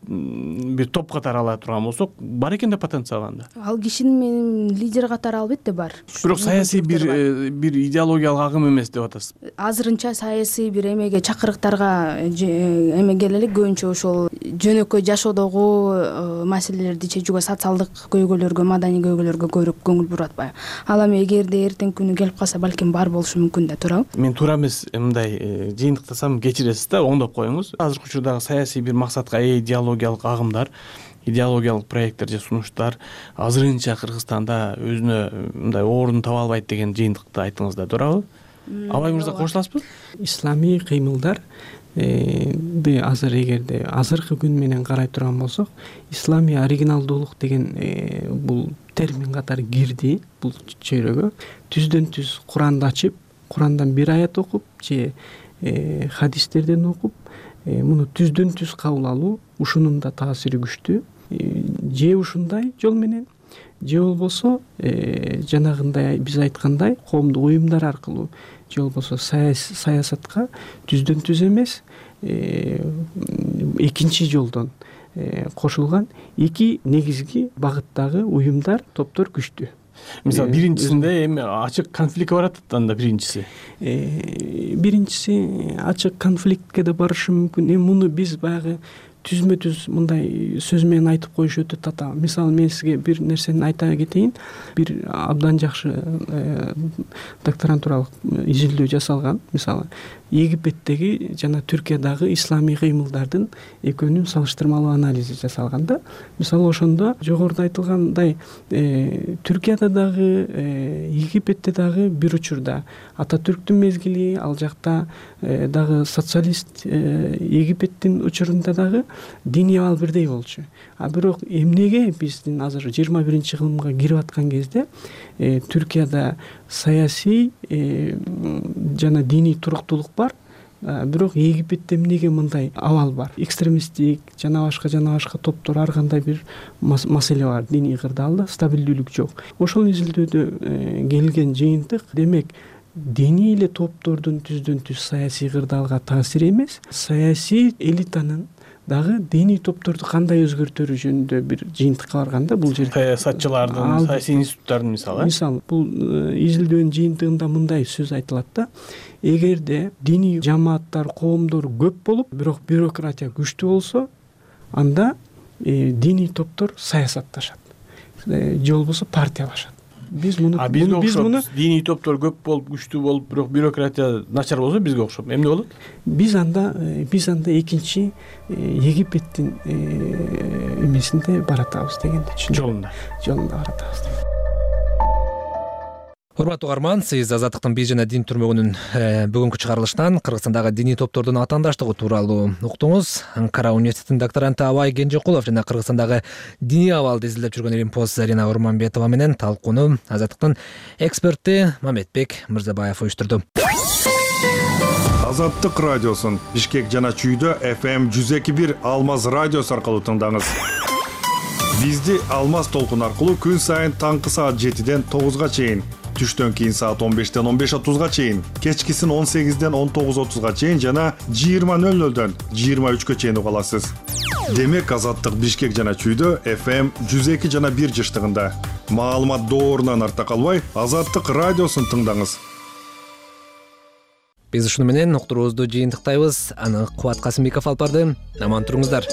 бир топ катары ала турган болсок, бар экен да потенциал анда. Ал кишинин менин лидер катары албетте бар. Бирок саясий бир бир идеологиялык агым эмес деп атасыз. Азырынча саясий бир эмеге чакырыктарга эме келе элек, көбүнчө ошол жөнөкөй жашоодогу маселелерди чечүүгө, социалдык көйгөйлөргө, маданий көйгөйлөргө көбүрөөк көңүл буруп атпайбы. Ал эми эгерде эртеңки күнү келип калса, балким бар болушу мүмкүн да, туурабы? Мен туура эмес мындай жыйынтыктасам кечиресиз да, оңдоп коюңуз. Азыркы учурдагы саясий бир максатка ээ идеологиялык агымдар, идеологиялык проекттер же сунуштар азырынча Кыргызстанда өзүнө мындай орун таба албайт деген жыйынтыкты айттыңыз да, туурабы? Абай мырза, кошуласызбы? Исламий кыймылдар азыр эгерде азыркы күн менен карай турган болсок, исламий оригиналдуулук деген бул термин катары кирди бул чөйрөгө. Түздөн түз Куранды ачып, Курандан бир аят окуп же хадистерден окуп, муну түздөн түз кабыл алуу, ушунун да таасири күчтүү. Же ушундай жол менен, же болбосо жанагындай биз айткандай коомдук уюмдар аркылуу, же болбосо саясатка түздөн түз эмес, экинчи жолдон кошулган эки негизги багыттагы уюмдар, топтор күчтүү. Мисалы, биринчисинде эми ачык конфликт барат анда биринчиси. Биринчиси ачык конфликтке да барышы мүмкүн. Эми муну биз баягы түзмө түз мындай сөз менен айтып коюш өтө татаал. Мисалы, мен сизге бир нерсени айта кетейин. Бир абдан жакшы докторантуралык изилдөө жасалган. Мисалы, Египеттеги жана Түркиядагы исламий кыймылдардын экөөнүн салыштырмалуу анализи жасалган да. Мисалы, ошондо жогоруда айтылгандай Түркияда дагы, Египетте дагы бир учурда Ататүрктүн мезгили, ал жакта дагы социалист Египеттин учурунда дагы диний абал бирдей болчу. А бирок эмнеге биздин азыр жыйырма биринчи кылымга кирип аткан кезде Түркияда саясий жана диний туруктуулук бар, бирок Египетте эмнеге мындай абал бар? Экстремисттик жана башка жана башка топтор, ар кандай бир маселе бар диний кырдаалда, стабилдүүлүк жок. Ошол изилдөөдө келген жыйынтык, демек, диний эле топтордун түздөн түз саясий кырдаалга таасири эмес, саясий элитанын дагы диний топторду кандай өзгөртөрү жөнүндө бир жыйынтыкка барганда бул жерде саясатчылардын саясий институттардын мисалы мисалы бул изилдөөнүн жыйынтыгында мындай сөз айтылат да, эгерде диний жамааттар, коомдор көп болуп, бирок бюрократия күчтүү болсо, анда диний топтор саясатташат же болбосо партиялашат. Биз муну биз муну диний топтор көп болуп, күчтүү болуп, бирок бюрократия начар болсо бизге окшоп эмне болот? Биз анда биз анда экинчи Египеттин эмесинде баратабыз дегенди түшүнөм. Жолунда. Жолунда баратабыз. Урматтуу угарман, сиз Азаттыктын бий жана дин түрмөгүнүн бүгүнкү чыгарылышынан Кыргызстандагы диний топтордун атаандаштыгы тууралуу уктуңуз. Анкара университетинин докторанты Абай Кенжекулов жана Кыргызстандагы диний абалды изилдеп жүргөн Илимпоз Зарина Урманбетова менен талкууну Азаттыктын эксперти Мамедбек Мырзабаев уюштурду. Азаттык радиосун Бишкек жана Чүйдө эф эм жүз эки бир Алмаз радиосу аркылуу тыңдаңыз. Бизди Алмаз толкун аркылуу күн сайын таңкы саат жетиден тогузга чейин, түштөн кийин саат он бештен он беш отузга чейин, кечкисин он сегизден он тогуз отузга чейин жана жыйырма нөл нөлдөн жыйырма үчкө чейин уга аласыз. Демек Азаттык Бишкек жана Чүйдө эф эм жүз эки жана бир жыштыгында. Маалымат доорунан арта калбай, Азаттык радиосун тыңдаңыз. Биз ушуну менен уктуруубузду жыйынтыктайбыз. Аны Кубат Касымбеков алып барды. Аман туруңуздар.